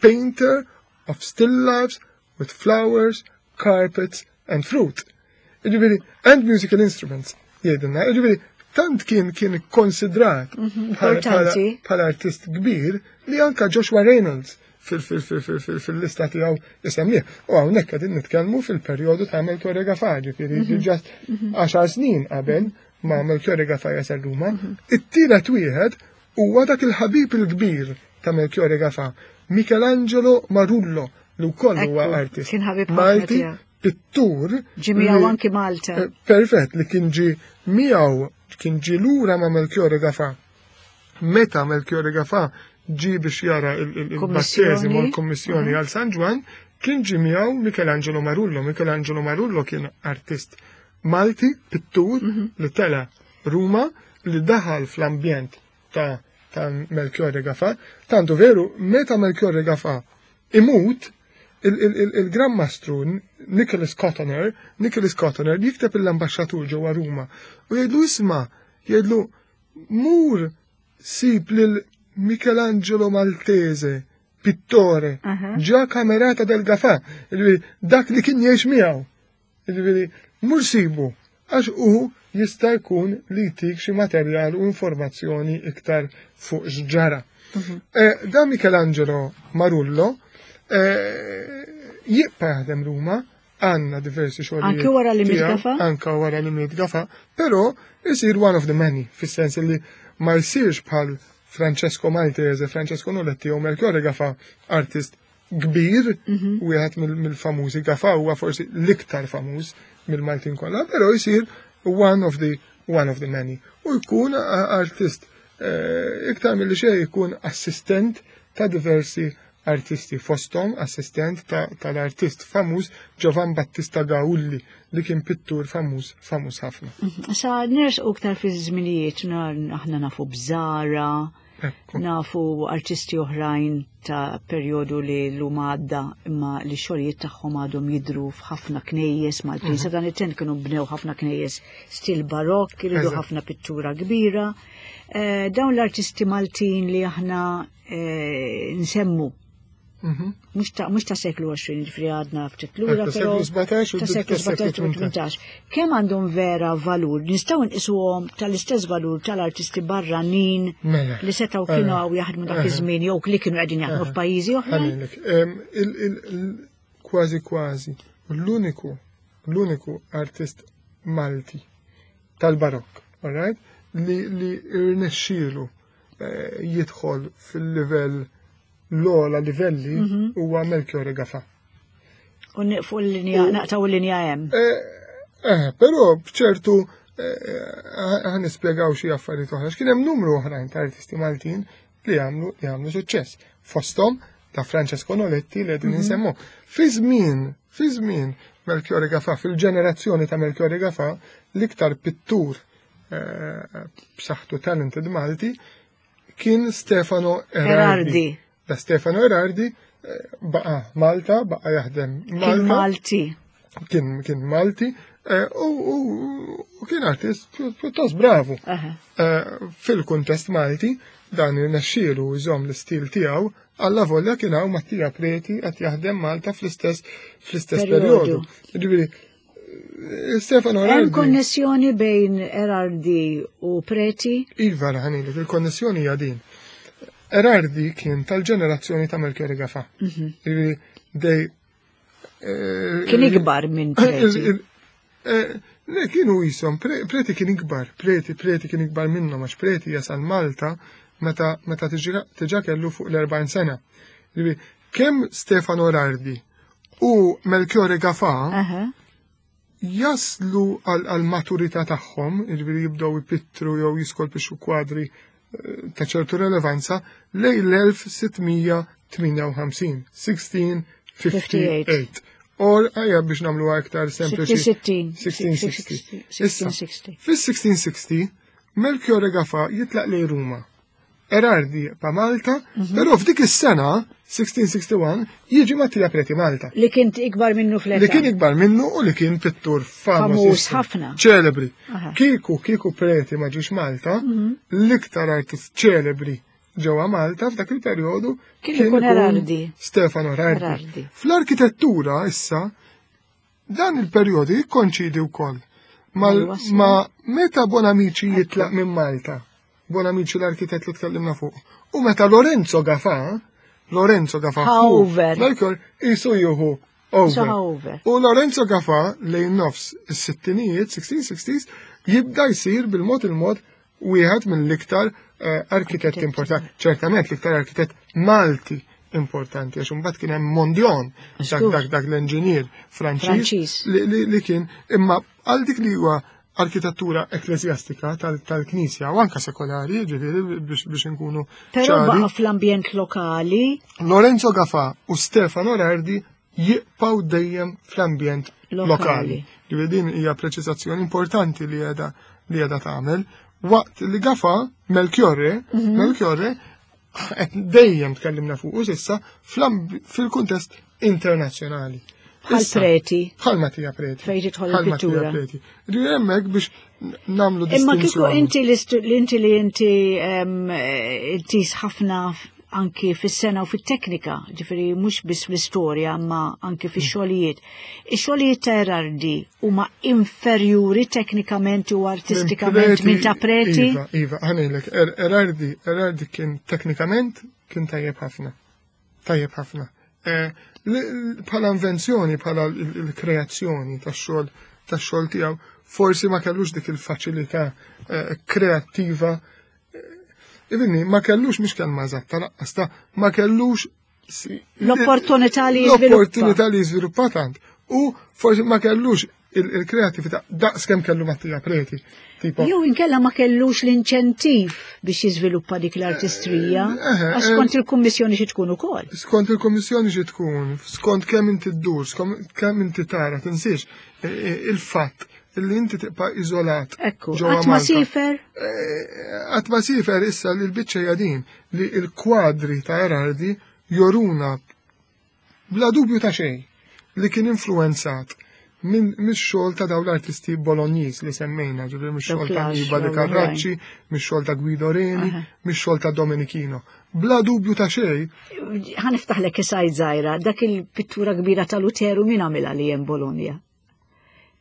painter of still lifes with flowers, carpets and fruit. Ġifieri, and musical instruments, jgħidilna. Ġifieri, tant kien kien konsidrat bħala artist kbir li anka Joshua Reynolds fil-lista tiegħu isemmih. U hawnhekk qegħdin nitkellmu fil-perjodu ta' Melchiorre Gafà, ġifieri diġà 10 snin qabel ma Melchiorre Gafà jasal Ruma. It-tielet wieħed huwa dak il-ħabib il-kbir ta' Melchiorre Gafà, Michelangelo Marullo, li wkoll huwa artist. Malti, pittur. Ġie miegħu anki Malta. Eh, perfett, li kien ġi miegħu kien ġi lura ma' Melchiorre Gafà. Meta Melchiorre Gafà ġi biex jara il-batteżimu l-kommissjoni għal San Ġwann, kien ġi miegħu Michelangelo Marullo. Michelangelo Marullo kien artist Malti, pittur, li tela Ruma, li daħal fl-ambjent ta' ta' Melchiorre Gafà. Tantu veru, meta Melchiorre Gafà imut, il-Gran Mastru Nicholas Cottoner, Nicholas Cottoner jikteb l-ambasċatur ġewwa Ruma u jgħidlu isma' jgħidlu mur sib lil Michelangelo Maltese, pittore, già camerata del Gafà, dak li kien jgħix miegħu. Ġifieri, mur sibu, għax u jista' jkun li jtik xi materjal u informazzjoni iktar fuq x'ġara. Eh, da Michelangelo Marullo eh, jibqa' jaħdem Ruma, għandna diversi xogħlijiet. Anke wara li miet Gafà? Anke wara li miet Gafà, però isir one of the many, fis-sens li ma jsirx bħal Francesco Maltese, Francesco Noletti u Melchiorre Gafà, artist kbir, wieħed mill-famużi Gafà huwa forsi l-iktar famuż mill-Maltin kollha, però jsir one of the many. U jkun artist eh, iktar milli xejn jkun assistent ta' diversi artisti fostom assistent tal-artist famuż Giovan Battista Gaulli li kien pittur famuż famuż ħafna. Sa nersqu iktar fi żminijiet aħna nafu b'Zara, nafu artisti oħrajn ta' perjodu li l-lum għadda imma li xogħlijiet tagħhom għadhom jidru f'ħafna knejjes Maltin. Sa dan it-tent kienu bnew ħafna knejjes stil barokk, iridu ħafna pittura kbira. Eh, dawn l-artisti Maltin li aħna eh, nsemmu mhux ta' seklu 20, ġifieri għadna ftit lura, Ta' però seklu 17 u ta' seklu 17 u 18. Kemm għandhom vera valur? Nistgħu nqisuhom tal-istess valur tal-artisti barranin Mela. li setgħu kienu hawn jaħdmu dak iż-żmien jew li kienu qegħdin jaħdmu f'pajjiżi oħra? Ħa ngħidlek, kważi kważi l-uniku l-uniku artist Malti tal-barokk, alright? Li li irnexxielu eh, jidħol fil-livell l-ogħla livelli huwa Melchiorre Gafà. U nieqfu l-linja, naqtaw l-linja hemm. Eh, eh, però bċertu ħa nispjegaw xi affarijiet oħra. X'kien hemm numru oħrajn ta' artisti Maltin li għamlu li għamlu suċċess. Fosthom ta' Francesco Noletti li qegħdin insemmu. Fi żmien, fi żmien Melchiorre Gafà, fil-ġenerazzjoni ta' Melchiorre Gafà, l-iktar pittur eh, b'saħħtu talented Malti kien Stefano Erardi. Da Stefano Erardi eh, baqa Malta, baqa jaħdem Malta. Kien Malti. Kien, kien Malti eh, u, kien artist pjuttost bravu. Eh, fil-kuntest Malti dan irnexxielu jżomm l-istil tiegħu alla volja kien hawn Mattia Preti qed jaħdem Malta fl-istess fl-istess perjodu. Ġifieri Stefano Erardi. Hemm konnessjoni bejn Erardi u Preti? Iva, ħanilek, il-konnessjoni hija din. Erardi kien tal-ġenerazzjoni ta' Melchior Gafa. Mhm. Dej eh, Kien ikbar minn Preti. Eh, le, kienu jisom, Preti kien ikbar, Preti, Preti kien ikbar minnhom għax Preti jasal Malta meta meta tiġa kellu fuq l-40 sena. Kemm Stefano Erardi u Melchiorre Gafà jaslu għal maturità tagħhom, jiġifieri jibdew ipittru jew jiskolpixxu kwadri eh, ta' ċertu relevanza lejn l-1658, 1658. Or, għajja biex nagħmlu aktar sempliċi. 1660. 1660. Fis-1660, Melchiorre Gafà jitlaq lejn Ruma. Erardi pa Malta, mhm. però f'dik is-sena, 1661, jiġi Mattia Preti Malta. Li kien ikbar minnu fl Li kien ikbar minnu u li kien pittur famuż ħafna. Ċelebri. Kieku, kieku Preti ma ġiex Malta, mhm. l-iktar artist ċelebri ġewwa Malta f'dak il-perjodu kien ikun Erardi. Stefano Erardi. Fl-arkitettura issa dan il-perjodu jikkonċidi wkoll ma meta Bonamici jitlaq minn Malta. Bonamici l-arkitett li tkellimna fuq. U meta Lorenzo Gafà, Lorenzo Gafà Over. Melchior jisu juhu over. U Lorenzo Gafà lejn nofs is-sittinijiet, 1660s, jibda jsir bil-mod il-mod wieħed mill-iktar eh, arkitetti importanti, ċertament l-iktar arkitett Malti importanti, għax imbagħad kien hemm Mondion, dak dak dak l-enġinier Franċiż li kien imma għal dik li huwa arkitettura ekklesjastika tal-Knisja u anka sekolari, ġifieri biex inkunu. Però baqa' fl-ambjent lokali. Lorenzo Gafa u Stefano Rardi jibqgħu dejjem fl-ambjent lokali. Ġifieri din hija preċiżazzjoni importanti li qiegħda li qiegħda tagħmel. Waqt li Gafa Melchiorre, mhm. Melchiorre dejjem tkellimna fuq s'issa fil-kuntest internazzjonali. Bħal preti. Bħal Mattia Preti. Fejn tidħol il-pittura. Preti. Ġifieri hemmhekk biex nagħmlu Imma kieku inti li inti li inti intis ħafna anki fis-sena u fit-teknika, ġifieri mhux biss fl-istorja imma anki fix-xogħlijiet. Ix-xogħlijiet ta' Erardi huma inferjuri teknikament u artistikament minn ta' Preti? Iva, iva, ħanejlek, er-, Erardi, Erardi kien teknikament kien tajjeb ħafna. Tajjeb ħafna. Eh, bħala invenzjoni, bħala l-kreazzjoni tax-xogħol tax-xogħol tiegħu, forsi ma kellux dik il-faċilità eh, kreattiva. Eh, Ibni, ma kellux mhix kelma eżatta laqqas ta' ma kellux l-opportunità li l-opportunità li jiżviluppa tant. U forsi ma kellux il-kreatività daqs kemm kellu Mattia Preti. Tipo. Jew inkella ma kellux l-inċentiv biex jiżviluppa dik l-artistrija, eh, eh, għax skont eh, il-kummissjoni xi tkun ukoll. Skont il-kummissjoni xi tkun, skont kemm inti ddur, skont kemm inti tara, tinsiex il-fatt li inti tibqa' iżolat. Ekku, qatt ma sifer? Qatt ma sifer issa li l-biċċa din li l-kwadri ta' Erardi joruna bla dubju ta' xejn li kien influenzat minn mix-xogħol ta' dawn l-artisti Bologniż li semmejna, ġifieri mix-xogħol ta' Annibale Carracci, mix-xogħol ta' Guido Reni, mix-xogħol ta' Domenichino. Bla dubju ta' xejn. Ħa niftaħlek isajd żgħira, dak il-pittura kbira ta' Luteru min għamilha li hemm Bologna?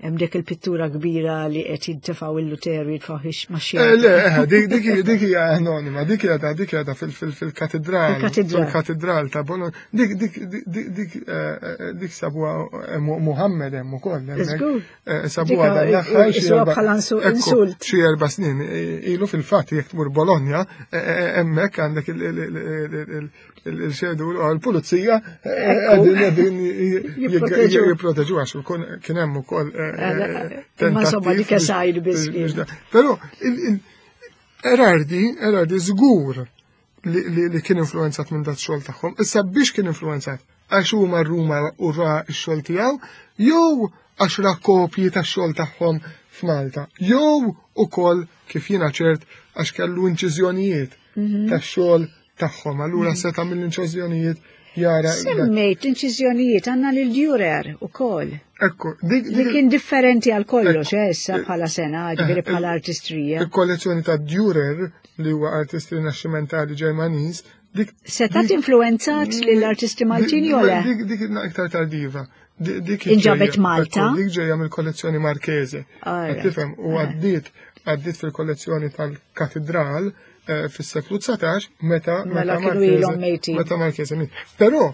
Hemm dik il-pittura kbira li qed jintefgħu il-Luteru jitfgħu ma' xi. Eh, le, eh, dik hija anonima, dik hija dik hija fil-katedral. Fil-katedral ta' Bologna. Dik dik dik eh, dik sabuha Muhammed hemm ukoll. Sabuha dan l-aħħar insult. Xi erba' snin ilu fil-fatt jekk tmur Bologna hemmhekk għandek il-xedu l-pulizija qegħdin qegħdin jipproteġu għax kien hemm ukoll eh, eh, Ma insomma dik esajr biss. Però Erardi, Erardi żgur li kien influenzat minn dat xogħol tagħhom. Issa biex kien influenzat? Għax huma Ruma u ra x-xogħol tiegħu jew għax ra kopji tax-xogħol tagħhom f'Malta. Jew ukoll kif jiena ċert għax kellu inċiżjonijiet mhm. tax-xogħol tagħhom. Allura mhm. seta' mill-inċiżjonijiet jara. Semmejt l-inċiżjonijiet għandna lil Dürer ukoll. Ekku, dik li kien differenti għal kollox eh, issa bħala sena, ġifieri eh, bħala artistrija. Il-kollezzjoni ta' Dürer li huwa artist rinaxximentali Ġermaniż, dik Seta' influenzat lill-artisti Maltin jew le? Dik dik iktar tardiva. Dik inġabet Malta. Dik ġejja mill-kollezzjoni Marchese. Tifhem u għaddiet għaddiet fil-kollezzjoni tal-katedral eh, fis-seklu 19 meta mela kienu ilhom mejtin. Meta Marchese miet. Però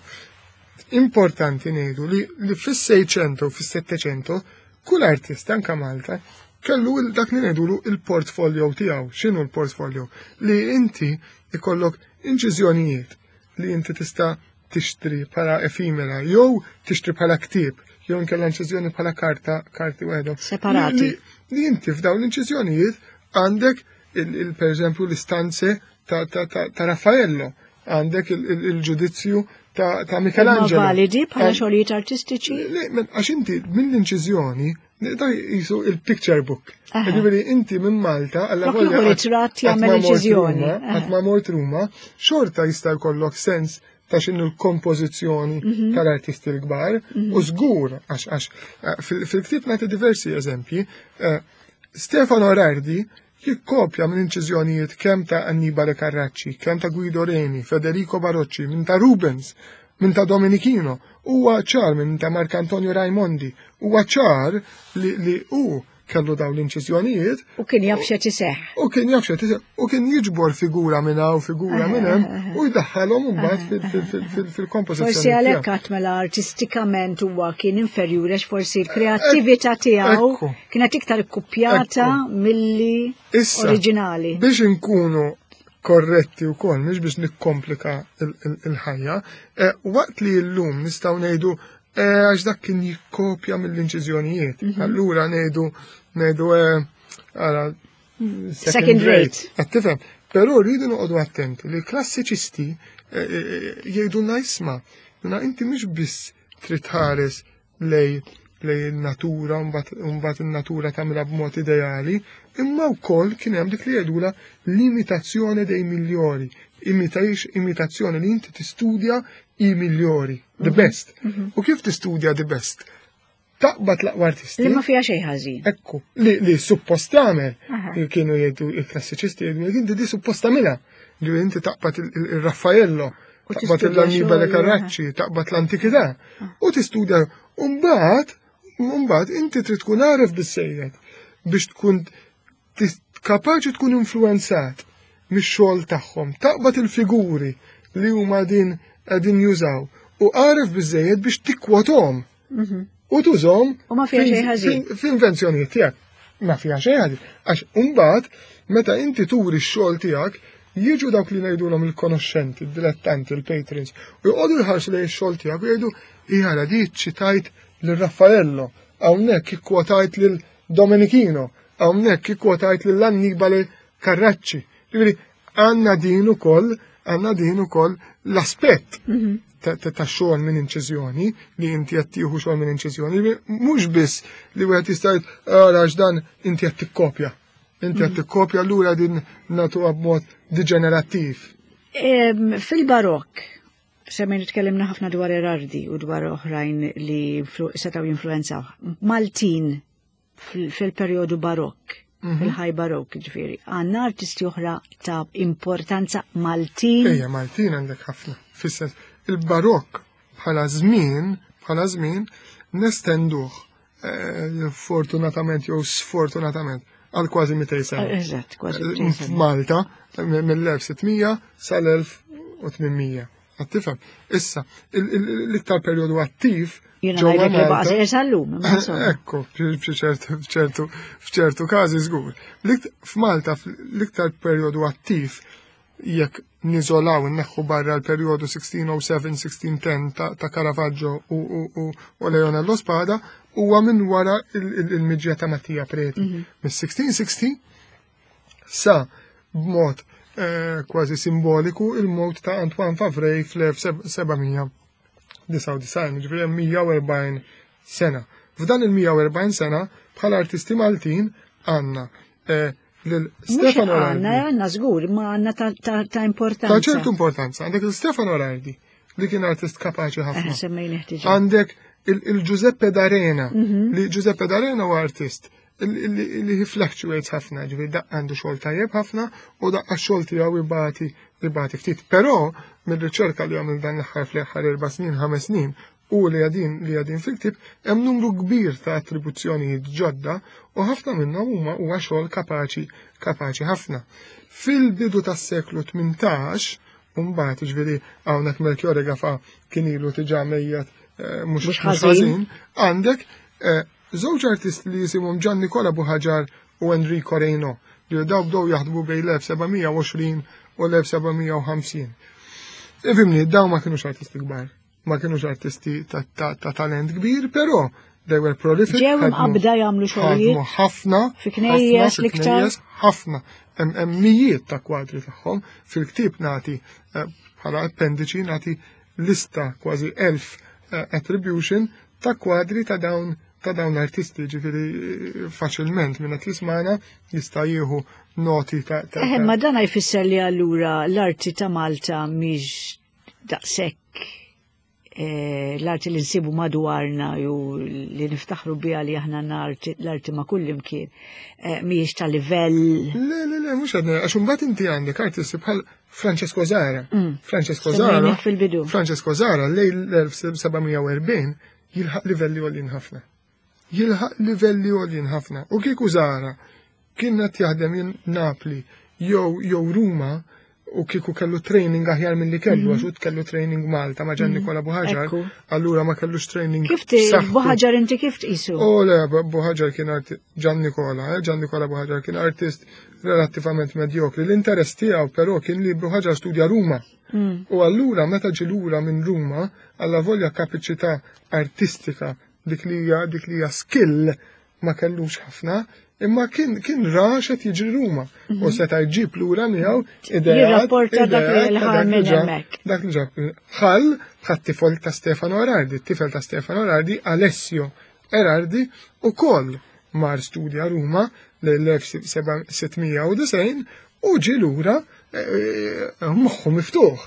importanti ngħidu li, li fis-600 u fis-700 kull artist anka Malta kellu dak li ngħidulu il-portfolio tiegħu. X'inhu l-portfolio? Li inti ikollok inċiżjonijiet li inti tista' tixtri bħala efimera jew tixtri bħala ktieb jew inkella inċiżjoni bħala karta karti waħedhom. Separati. Li, inti f'dawn l-inċiżjonijiet għandek il, per eżempju l-istanze ta', ta, ta, ta Raffaello, għandek il-ġudizzju ta', ta Michelangelo. Ma validi bħala xogħlijiet artistiċi? Għax inti mill-inċiżjoni Da jisu il-picture book. Ġifieri inti minn Malta għalla volja. ritratt jagħmel inċiżjoni. Qatt ma mort Ruma, xorta jista' jkollok sens ta' x'inhu l-kompożizzjoni mhm. tal-artisti l-kbar mhm. u żgur għax għax eh, fil-ktieb nagħti diversi eżempji. Eh, Stefano Rardi jikkopja minn inċiżjonijiet kemm ta' Annibale Carracci, kemm ta' Guido Reni, Federico Barocci, minn ta' Rubens, minn ta' Domenichino, huwa ċar minn ta' Marcantonio Raimondi, huwa ċar li, li hu kellu dawn l-inċiżjonijiet. U kien jaf x'qed iseħħ. U kien jaf x'qed iseħħ u kien jiġbor figura minn hawn figura minn hemm u jdaħħalhom imbagħad fil-kompożizzjoni. Forsi għalhekk qatt mela artistikament huwa kien inferjuri għax forsi l-kreattività tiegħu kienet iktar ikkupjata milli oriġinali. Biex inkunu korretti u kol, mhux biex nikkomplika il-ħajja, eh, waqt li l-lum nistaw ngħidu eh, għax dak kien jikkopja mill-inċiżjonijiet. Mhm. Allura ngħidu ngħidu eh, għara second rate. Qed tifhem. Però rridu noqogħdu attenti li l-klassiċisti jgħidulna isma' inti mhux biss trid tħares lej lej il-natura mbagħad in-natura tagħmilha b'mod ideali, imma wkoll kien hemm dik li jgħidula l-imitazzjoni dei migliori, imitazzjoni li inti tistudja i migliori, the mhm. best. Mhm. U kif tistudja the best? Taqbad l-aqwa artisti. Li ma fiha xejn ħażin. Ekku, li, li suppost tagħmel, kienu jgħidu il-klassiċisti jgħidu inti di suppost tagħmilha. Li inti taqbad il-Raffaello, taqbad l-Annibale Carracci, taqbad l-antikità ah. u tistudja. Umbagħad, mbagħad inti trid tkun għaref bissejjed biex tkun kapaċi tkun influenzat mix-xogħol tagħhom, taqbad il-figuri li huma din qegħdin jużaw u għaref biżejjed biex tikkwothom mhm. u tużhom u ma fiha xejn ħażin f'invenzjonijiet tiegħek. Ma fiha xejn ħażin. Għax imbagħad meta inti turi x-xogħol tiegħek jiġu dawk li ngħidulhom il-konoxxenti, il-dilettanti, il-patrons, u jqogħdu jħarsu lejn ix-xogħol tiegħek u jgħidu jara di ċitajt lil Raffaello, hawnhekk ikkwotajt lil Domenichino, hawnhekk ikkwotajt lil Annibale Carracci. Ġifieri għandna din ukoll għandna din ukoll l-aspett mhm. ta' xogħol minn inċiżjoni li inti qed tieħu xogħol minn inċiżjoni, mhux biss li wieħed jista' ara dan inti qed tikkopja. Inti qed mhm. tikkopja allura din nagħtuha b'mod diġenerattiv. Fil-barokk, semmejn tkellimna ħafna dwar Erardi u dwar oħrajn li setgħu jinfluenzaw. Maltin fil-perjodu barokk, mhm. fil-ħaj barokk ġifieri. Għandna artisti oħra ta' importanza Maltin. Ejja, Maltin għandek ħafna. Fis-sens, il-barokk bħala żmien, bħala żmien nestenduh eh, fortunatament jew sfortunatament għal kważi 200 sena. Eżatt, kważi 200 sena. F'Malta mill-1600 sal-1800. Qed tifhem? Issa, l-iktar perjodu attiv ġewwa Malta. Ekku, f'ċertu każi żgur. F'Malta l-iktar perjodu attiv jekk niżolaw inneħħu barra l-perjodu 1607-1610 ta' Caravaggio u Leonello Spada huwa minn wara il-miġja ta' Mattia Preti. Mhm. Mis-1660 Sa, b'mod eh, kważi simboliku, il-mewt ta' Antoine Favray fl-1799, ġifieri 140 sena. F'dan il-140 sena bħala artisti Maltin għandna eh, lil Stefano Għanna, għanna żgur, ma għanna ta' importanza. Ta' ċertu importanza. Għandek il-Stefano Rardi, li kien artist kapaċi ħafna. Eh, Għandek il-Giuseppe D'Arena, mhm. li Giuseppe D'Arena huwa artist li he fluctuates ħafna, ġifieri daqqa għandu xogħol tajjeb ħafna u daqqa xogħol tiegħu ibati ibati ftit. Però mir-riċerka li għamil dan l-aħħar fl-aħħar erba' snin, ħames snin, u li għadin li għadin fil-ktib hemm numru kbir ta' attribuzzjonijiet ġodda u ħafna minnhom huma huwa xogħol kapaċi kapaċi ħafna. Fil-bidu tas-seklu 18 mbagħad ġifieri hawnhekk Melchiorre Gafa kien ilu diġà mejjet eh, mhux ħażin, għandek eh, żewġ artisti li jisimhom Gian Nicola Buħaġar u Enrico Reyno li daw bdew jaħdmu bejn l-1720 u l-1750. Ifimni, daw ma kienux artisti kbar ma kienux artisti ta' talent kbir, però they were prolific. Ġew imqabbda jagħmlu xogħlijiet. Ħafna. Fi knejjes l-iktar. Ħafna. Hemm mijiet ta' kwadri tagħhom fil-ktieb nagħti eh, bħala appendiċi nagħti lista kważi elf eh, attribution ta' kwadri ta' dawn ta' dawn l-artisti, ġifiri eh, faċilment minn qed jismana jista' jieħu noti ta' ta' ma dan jfisser li allura l-arti ta' Malta mhix daqshekk eh, l-arti li nsibu madwarna ju li niftaħru biha li aħna l-arti ma' kull imkien eh, mhijiex ta' livell. Le, le, le, mhux għadna, għax imbagħad inti għandek artisti bħal Francesco Zara. Mm. Francesco Zara. fil-bidu. Francesco Zara lejn l-1740 jilħaq livelli għolin ħafna. Jilħaq livelli għolin ħafna. U kieku Zara kien qed jaħdem jien Napli jew jew Ruma u kieku kellu training aħjar milli kellu, mhm. għax kellu training Malta ma' Gian mhm. Nikola Buħaġar, allura ma kellux training. Kif Buħaġar inti kif tqisu? Oh le, Buħaġar kien Gian Nikola, eh, Gian Nikola Buħaġar kien artist relattivament medjokri. L-interess tiegħu però kien li Buħaġar studja Ruma. Mm. U allura meta ġi lura minn Ruma, alla volja kapaċità artistika dik li hija dik li hija skill ma kellux ħafna, imma kien kien ra x'qed jiġri Ruma u mhm. seta' jġib lura miegħu ideat. Jirrapporta dak li ħa minn hemmhekk. Dak li ġab ħall bħat tifel ta' Stefano Erardi, tifel ta' Stefano Erardi Alessio Erardi ukoll mar studja Ruma l-1690 u ġi lura eh, eh, moħħu miftuħ.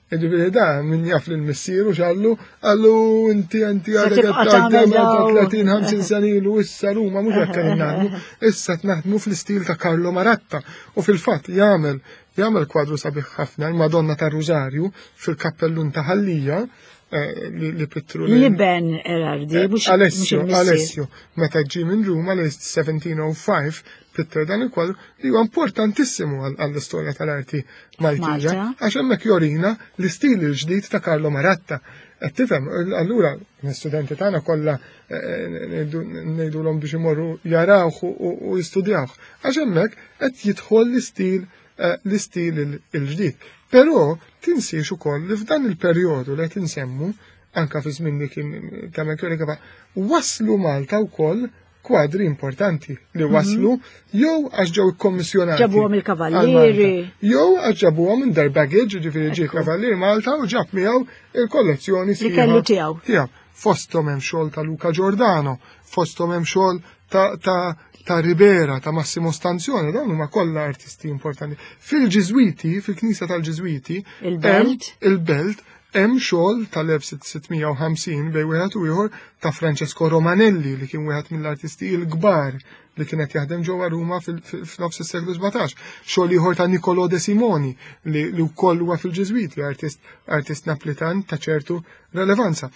Ġifieri da min jaf lil missieru x'għallu, għallu inti inti għadek qed 30 50 sena ilu issa Ruma mhux hekk qegħdin naħdmu, issa qed naħdmu fl-istil ta' Carlo Maratta u fil-fatt jagħmel jagħmel kwadru sabiħ ħafna l-Madonna tar-Rużarju fil-kappellun ta' Ħallija eh, li pittru li ben Erardi, eh, mhux Alessio, Alessio, meta ġie minn Ruma l-1705 pitter dan il-kwadru li huwa importantissimu għall-istorja tal-arti Maltija, għax hemmhekk jorina l-istil il-ġdid ta' Carlo Maratta. Qed tifhem, allura l-istudenti tagħna kollha eh, eh, ngħidulhom biex imorru jarawh u jistudjawh. Għax hemmhekk qed jidħol l-istil eh, l-istil il-ġdid. Però tinsiex ukoll li f'dan il-perjodu li qed insemmu anka fi żmien li kien ta' Melchiorre waslu Malta wkoll kwadri importanti li mhm. waslu jew għax ġew ikkommissjonati. Ġabuhom il-kavallieri. Jew għax ġabuhom in their baggage, ġifieri ġie kavallier Malta u ġab miegħu il-kollezzjoni li kellu tiegħu. Tiegħu. Fosthom hemm xogħol ta' Luca Giordano, fosthom hemm xogħol ta' ta' ta' Ribera, ta' Massimo Stanzione, dawn huma kollha artisti importanti. Fil-Ġiżwiti, fil-Knisja tal-Ġiżwiti, il-Belt, il-Belt Hemm xogħol tal-1650 bejn wieħed u ieħor ta' Francesco Romanelli li kien wieħed mill-artisti l-kbar li kien qed jaħdem ġewwa Ruma f'nofs is-seklu 17. Xogħol ieħor ta' Niccolò de Simoni li wkoll huwa fil-Ġiżwiti, artist, artist Naplitan ta' ċertu relevanza.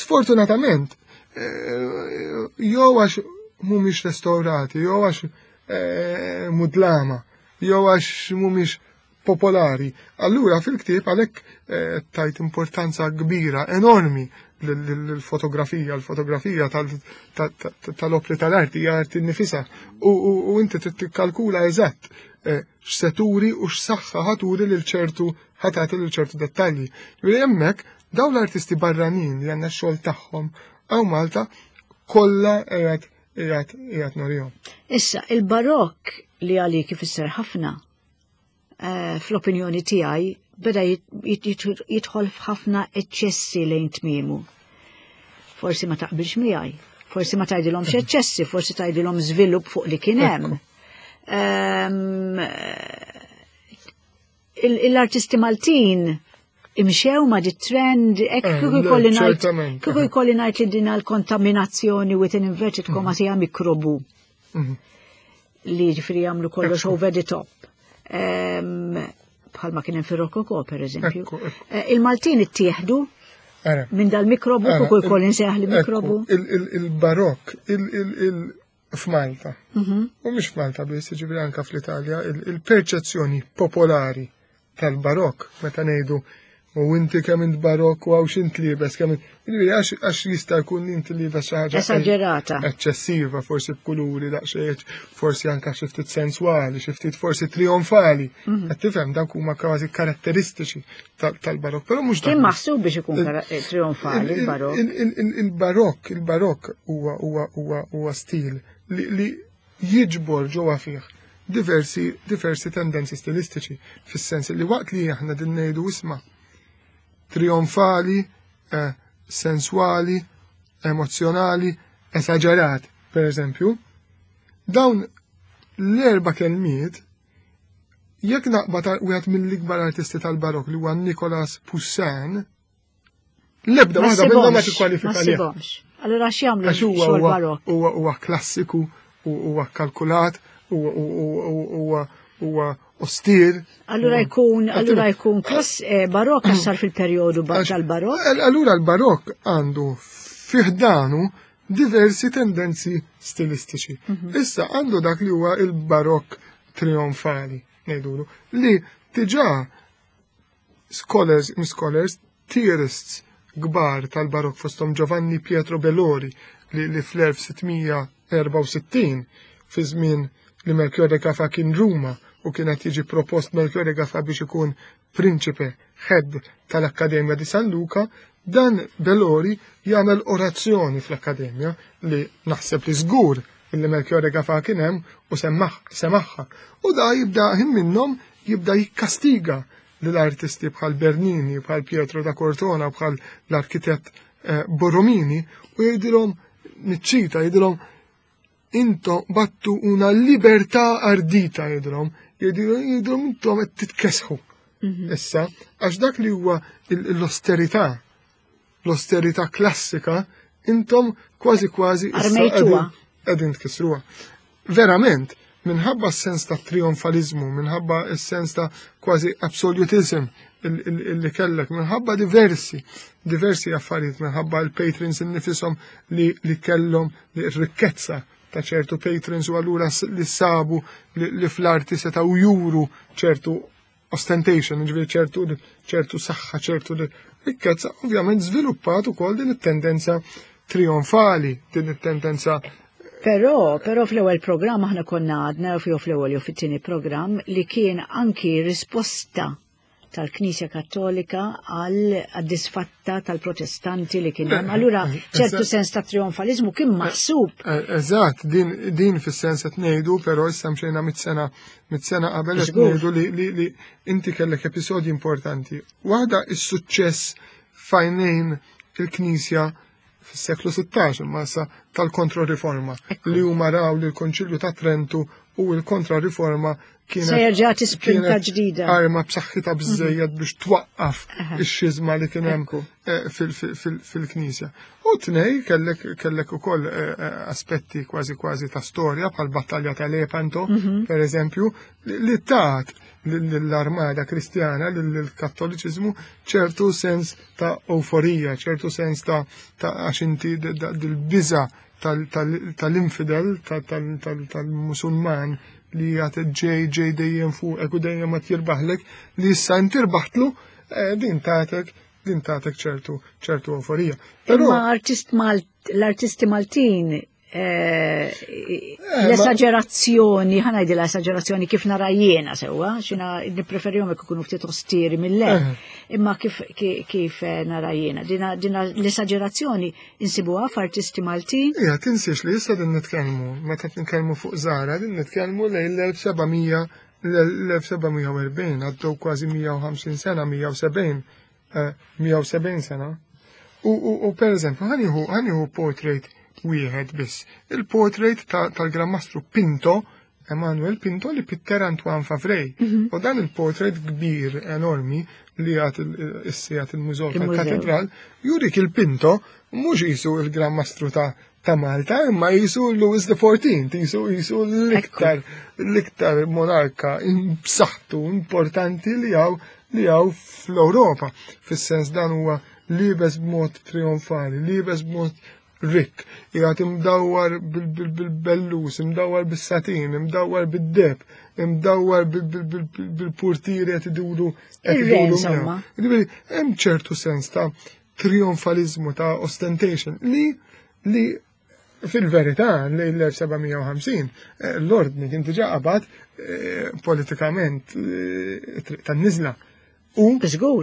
Sfortunatament, eh, jew għax mhumiex restaurati, jew għax eh, mudlama, jew għax mhumiex popolari. Allura fil-ktieb għalhekk eh, tajt importanza kbira, enormi l-fotografija, l-fotografija tal-opri tal-arti hija arti nifisa. U inti trid tikkalkula eżatt eh, x'seturi u x'saħħa ħaturi lil ċertu ħatati lil ċertu dettalji. Ġifieri hemmhekk dawn l-artisti barranin li għandna x-xogħol tagħhom hawn Malta kollha qiegħed qiegħed qiegħed norihom. Issa, il-barokk li għalik ifisser ħafna Eh, fl-opinjoni tiegħi beda jidħol f'ħafna eċċessi lejn tmiemu. Forsi ma taqbilx miegħi. Forsi ma tgħidilhomx eċċessi, forsi tgħidilhom żvilupp fuq li kien hemm. L-artisti Maltin imxew ma di trend, ek eh, kieku jkolli ngħid kieku jkolli ngħid li din l-kontaminazzjoni with an inverted comma mhm. hija mikrobu. Mhm. Li ġifieri jagħmlu kollox over the top. Bħalma kien hemm fir-Rokoko pereżempju. Eh, Il-Maltin ittieħdu minn dal-mikrobu kieku jkolli nsejjaħ li mikrobu. Il-barok, f'Malta. Mhm. U mhux f'Malta biss, jiġifieri anke fl-Italja, il-perċezzjoni popolari tal-barokk meta ngħidu u inti kemm int barokk u għaw x'int liebes kemm int għax jista' jkun li inti liebes xi ħaġa esaġerata. Eċċessiva, forsi b'kuluri daqsxejn, forsi anke xi ftit senswali, xi ftit forsi trionfali. Mhm. Qed tifhem dawk huma kważi karatteristiċi tal-barokk, però mhux Kien maħsub biex ikun eh, trionfali il-barokk. Il-barokk, il-barokk huwa huwa huwa huwa stil li jiġbor ġewwa fih diversi diversi tendenzi stilistiċi fis-sens li waqt li aħna din ngħidu isma' trionfali, eh, sensuali, emozjonali, esaġerat, per eżempju, dawn l-erba' kelmiet Jekk naqbad wieħed mill-ikbar artisti tal-Barokk li huwa Nicolas Poussin, l-ebda waħda minnhom ma tikkwalifika li. Allura x'jagħmlu xogħol Barokk? Huwa huwa klassiku, huwa kalkulat, huwa huwa ostir. Allura jkun allura jkun klass eh, barokk għax sar fil-perjodu tal-barokk. Allura l-barokk għandu fiħdanu diversi tendenzi stilistiċi. Mhm. Issa għandu dak li huwa il-barokk trionfali, ngħidulu, li diġà scholars, scholars, theorists kbar tal-barokk fosthom Giovanni Pietro Bellori li, li fl-1664 fi żmien li Melchiorre Gafa kien Ruma u kien qed jiġi propost Melchiorre Gafa biex ikun prinċipe head tal-Akkademja di San Luca, dan Bellori jagħmel orazzjoni fl-Akkademja li naħseb li żgur illi Melchiorre Gafà kien hemm u semaħħa. U da jibda ħin minnhom jibda jikkastiga lill-artisti bħal Bernini, bħal Pietro da Cortona, bħal l-arkitett eh, Borromini u jgħidilhom niċċita jgħidilhom intom battu una libertà ardita jgħidilhom, jgħidilhom intom qed titkesħu. Mhm. Issa, għax dak li huwa l-osterità, l-osterità klassika, intom kważi kważi qegħdin tkissruha. Verament, minħabba s-sens ta' trionfalizmu, minħabba s-sens ta' kważi absolutism illi kellek, minħabba diversi, diversi affarijiet, minħabba l-patrons innifisom li, li kellhom rikkezza ta' ċertu patrons u allura li sabu li, li fl-arti setgħu juru ċertu ostentation, ġifieri ċertu ċertu saħħa, ċertu rikkezza, ovvjament żviluppat ukoll din it-tendenza trionfali, din it-tendenza Però, però fl-ewwel programm aħna konna għadna jew fl-ewwel jew fit-tieni programm li kien anki risposta tal-Knisja Kattolika għal disfatta tal-Protestanti li kien hemm. Allura ċertu sens ta' trionfalizmu kien maħsub. Eh, eżatt, din, din fis-sens qed ngħidu, però issa mxejna mit-sena mit-sena qabel qed ngħidu li, li, li inti kellek episodji importanti. Waħda is-suċċess fajnejn il-Knisja fis-seklu 16 imma issa tal-kontroriforma li huma raw li l-Konċilju ta' Trentu u l-kontrariforma kienet Se jerġa' tispinta ġdida. Arma b'saħħitha biżejjed mhm. biex twaqqaf ix-xiżma li kien hemm eh, fil-Knisja. U tnej kellek kellek ukoll eh, eh, aspetti kważi kważi ta' storja bħal battalja ta' Lepanto, mhm. per eżempju, li tat l-armada kristjana, l-kattoliċiżmu ċertu sens ta' euforija, ċertu sens ta' għax inti dil-biża tal-infidel, tal-musulman li jgħat ġej ġej dejjem fuqek u dejjem ma tirbaħlek li issa inti rbaħtlu eh, din tatek din tatek ċertu ċertu euforija. Però artist l-artisti Maltin Eh, eh, l-esagerazzjoni, ħana jdi l-esagerazzjoni kif nara jiena sewa, xina nipreferihom jekk ikunu ftit ostiri mill-le, eh. imma kif, kif nara jiena. Dina, dina l-esagerazzjoni insibuha f'artisti Maltin. Ija, tinsiex li issa din nitkellmu, meta nitkellmu fuq Zara, din nitkellmu lejn l-1700 l-1740, għaddew kważi 150 sena, 170, 170 sena. U, u, u per eżempju, ħaniħu portrait wieħed biss. Il-portrait tal-Gran Mastru Pinto, Emanuel Pinto li pitter Antoine Favray. Mhm. U dan il-portrait kbir enormi li għat il-sijat il-mużew tal-katedral, jurik il-Pinto mhux jisu il-Gran Mastru ta' ta' Malta, imma jisu Louis XIV, jisu jisu l-iktar l-iktar monarka b'saħħtu importanti li hawn li hawn fl-Ewropa. Fis-sens dan huwa libes b'mod trionfali, libes b'mod rikk, qiegħed imdawwar bil-bellus, imdawwar bis-satin, imdawwar bid-deb, imdawwar bil-purtieri qed iduru qed iduru. Jiġifieri hemm ċertu sens ta' trionfalizmu ta' ostentation li li fil-verità lejn l-1750 eh, l-ordni kien diġà qabad eh, politikament eh, triq tan-niżla. U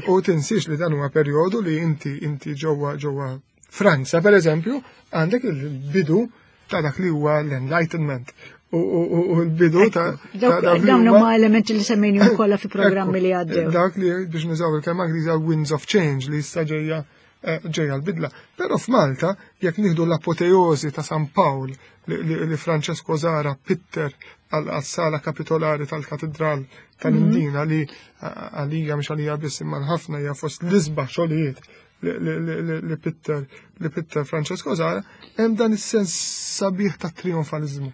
u tinsiex li dan huwa perjodu li inti inti ġewwa ġewwa Franza pereżempju għandek il-bidu ta' dak li huwa l-Enlightenment u l-bidu ta' dawn huma elementi li semmejni kollha fi programmi li għaddew. Dak li biex nużaw il-kelma Ingliża winds of change li issa ġejja eh, ġejja l-bidla. Però f'Malta, jekk nieħdu l-apoteosi ta' San Pawl li Francesco Zara pitter għas-sala kapitolari tal-Katedral tal-Imdina li għalija mhux għalija biss imma ħafna hija fost l-isbaħ xogħlijiet li pitter li pitter Francesco Zara, hemm dan is-sens sabiħ ta' trionfalizmu,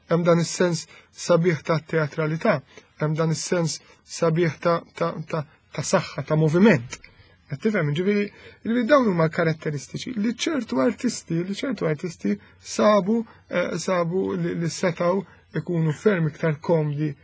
hemm dan is-sens sabiħ ta' teatralità, hemm dan is-sens sabiħ ta' ta' ta' ta' saħħa, ta' moviment. Qed tifhem, ġifieri, ġifieri dawn huma karatteristiċi li ċertu artisti, li ċertu artisti sabu eh, sabu li setgħu ikunu ferm iktar komdi eh,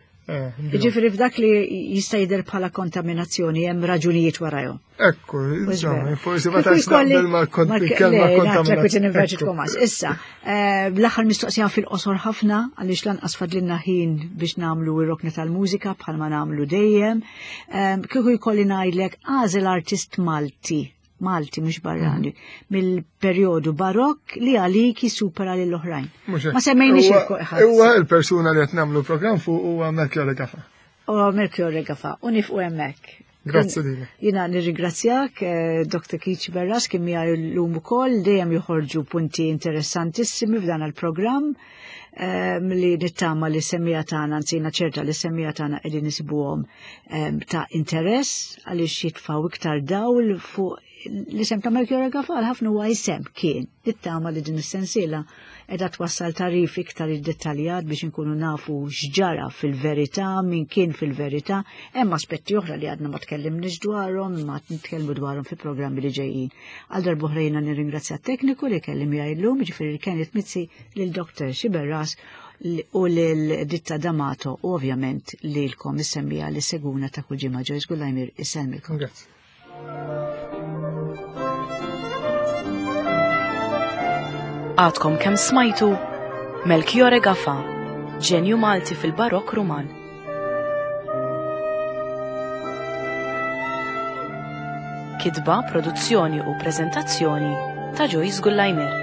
Ġifieri f'dak li jista' jidher bħala kontaminazzjoni hemm raġunijiet warajhom. Ekku, insomma, forsi ma tantx naqbel mal-kelma kontaminazzjoni. Issa, eh, l-aħħar mistoqsija fil-qosor ħafna għaliex lanqas fadlilna ħin biex nagħmlu ir-rokna tal-mużika bħalma nagħmlu dejjem. Eh, kieku jkolli ngħidlek għażel artist Malti Malti mhux barrani, mhm. mill-perjodu barokk li għalik jisupera lill oħrajn Ma semmejniex il Huwa il-persuna li qed nagħmlu programm fuq huwa Melchior Gafa. Huwa Melchior Gafa u nifqu hemmhekk. Grazzi lilek. Jina nirringrazzjak, eh, Dr. Keith Berras, kien miegħi llum ukoll, dejjem joħorġu punti interessantissimi f'dan il-programm ehm, li nittama li semmija tagħna, anzi jiena ċerta li semmija tagħna qegħdin isibuhom ehm, ta' interess għaliex jitfgħu iktar dawl fuq l-isem ta' Melchior Gafal ħafna huwa isem kien. Nittama li din is-sensiela qiegħda twassal tagħrif iktar iddettaljat biex inkunu nafu x'ġara fil-verità, min kien fil-verità. Hemm aspetti oħra li għadna ma tkellimniex dwarhom, imma nitkellmu dwarhom fi programmi li ġejjin. Għal darb'oħra jiena nirringrazzja t-tekniku li kelli miegħi llum, jiġifieri Kenneth Mizzi, lil Dr. Xiberras u lil Ditta D'Amato u ovvjament lilkom is-semmiegħa li seguna ta' kull ġimgħa. Joyce Gullajmir isellmilkom. Grazzi. Għadkom kemm smajtu Melchiore Gafa, ġenju Malti fil-Barokk Ruman. Kitba, produzzjoni u preżentazzjoni ta' Joyce Gullajmer.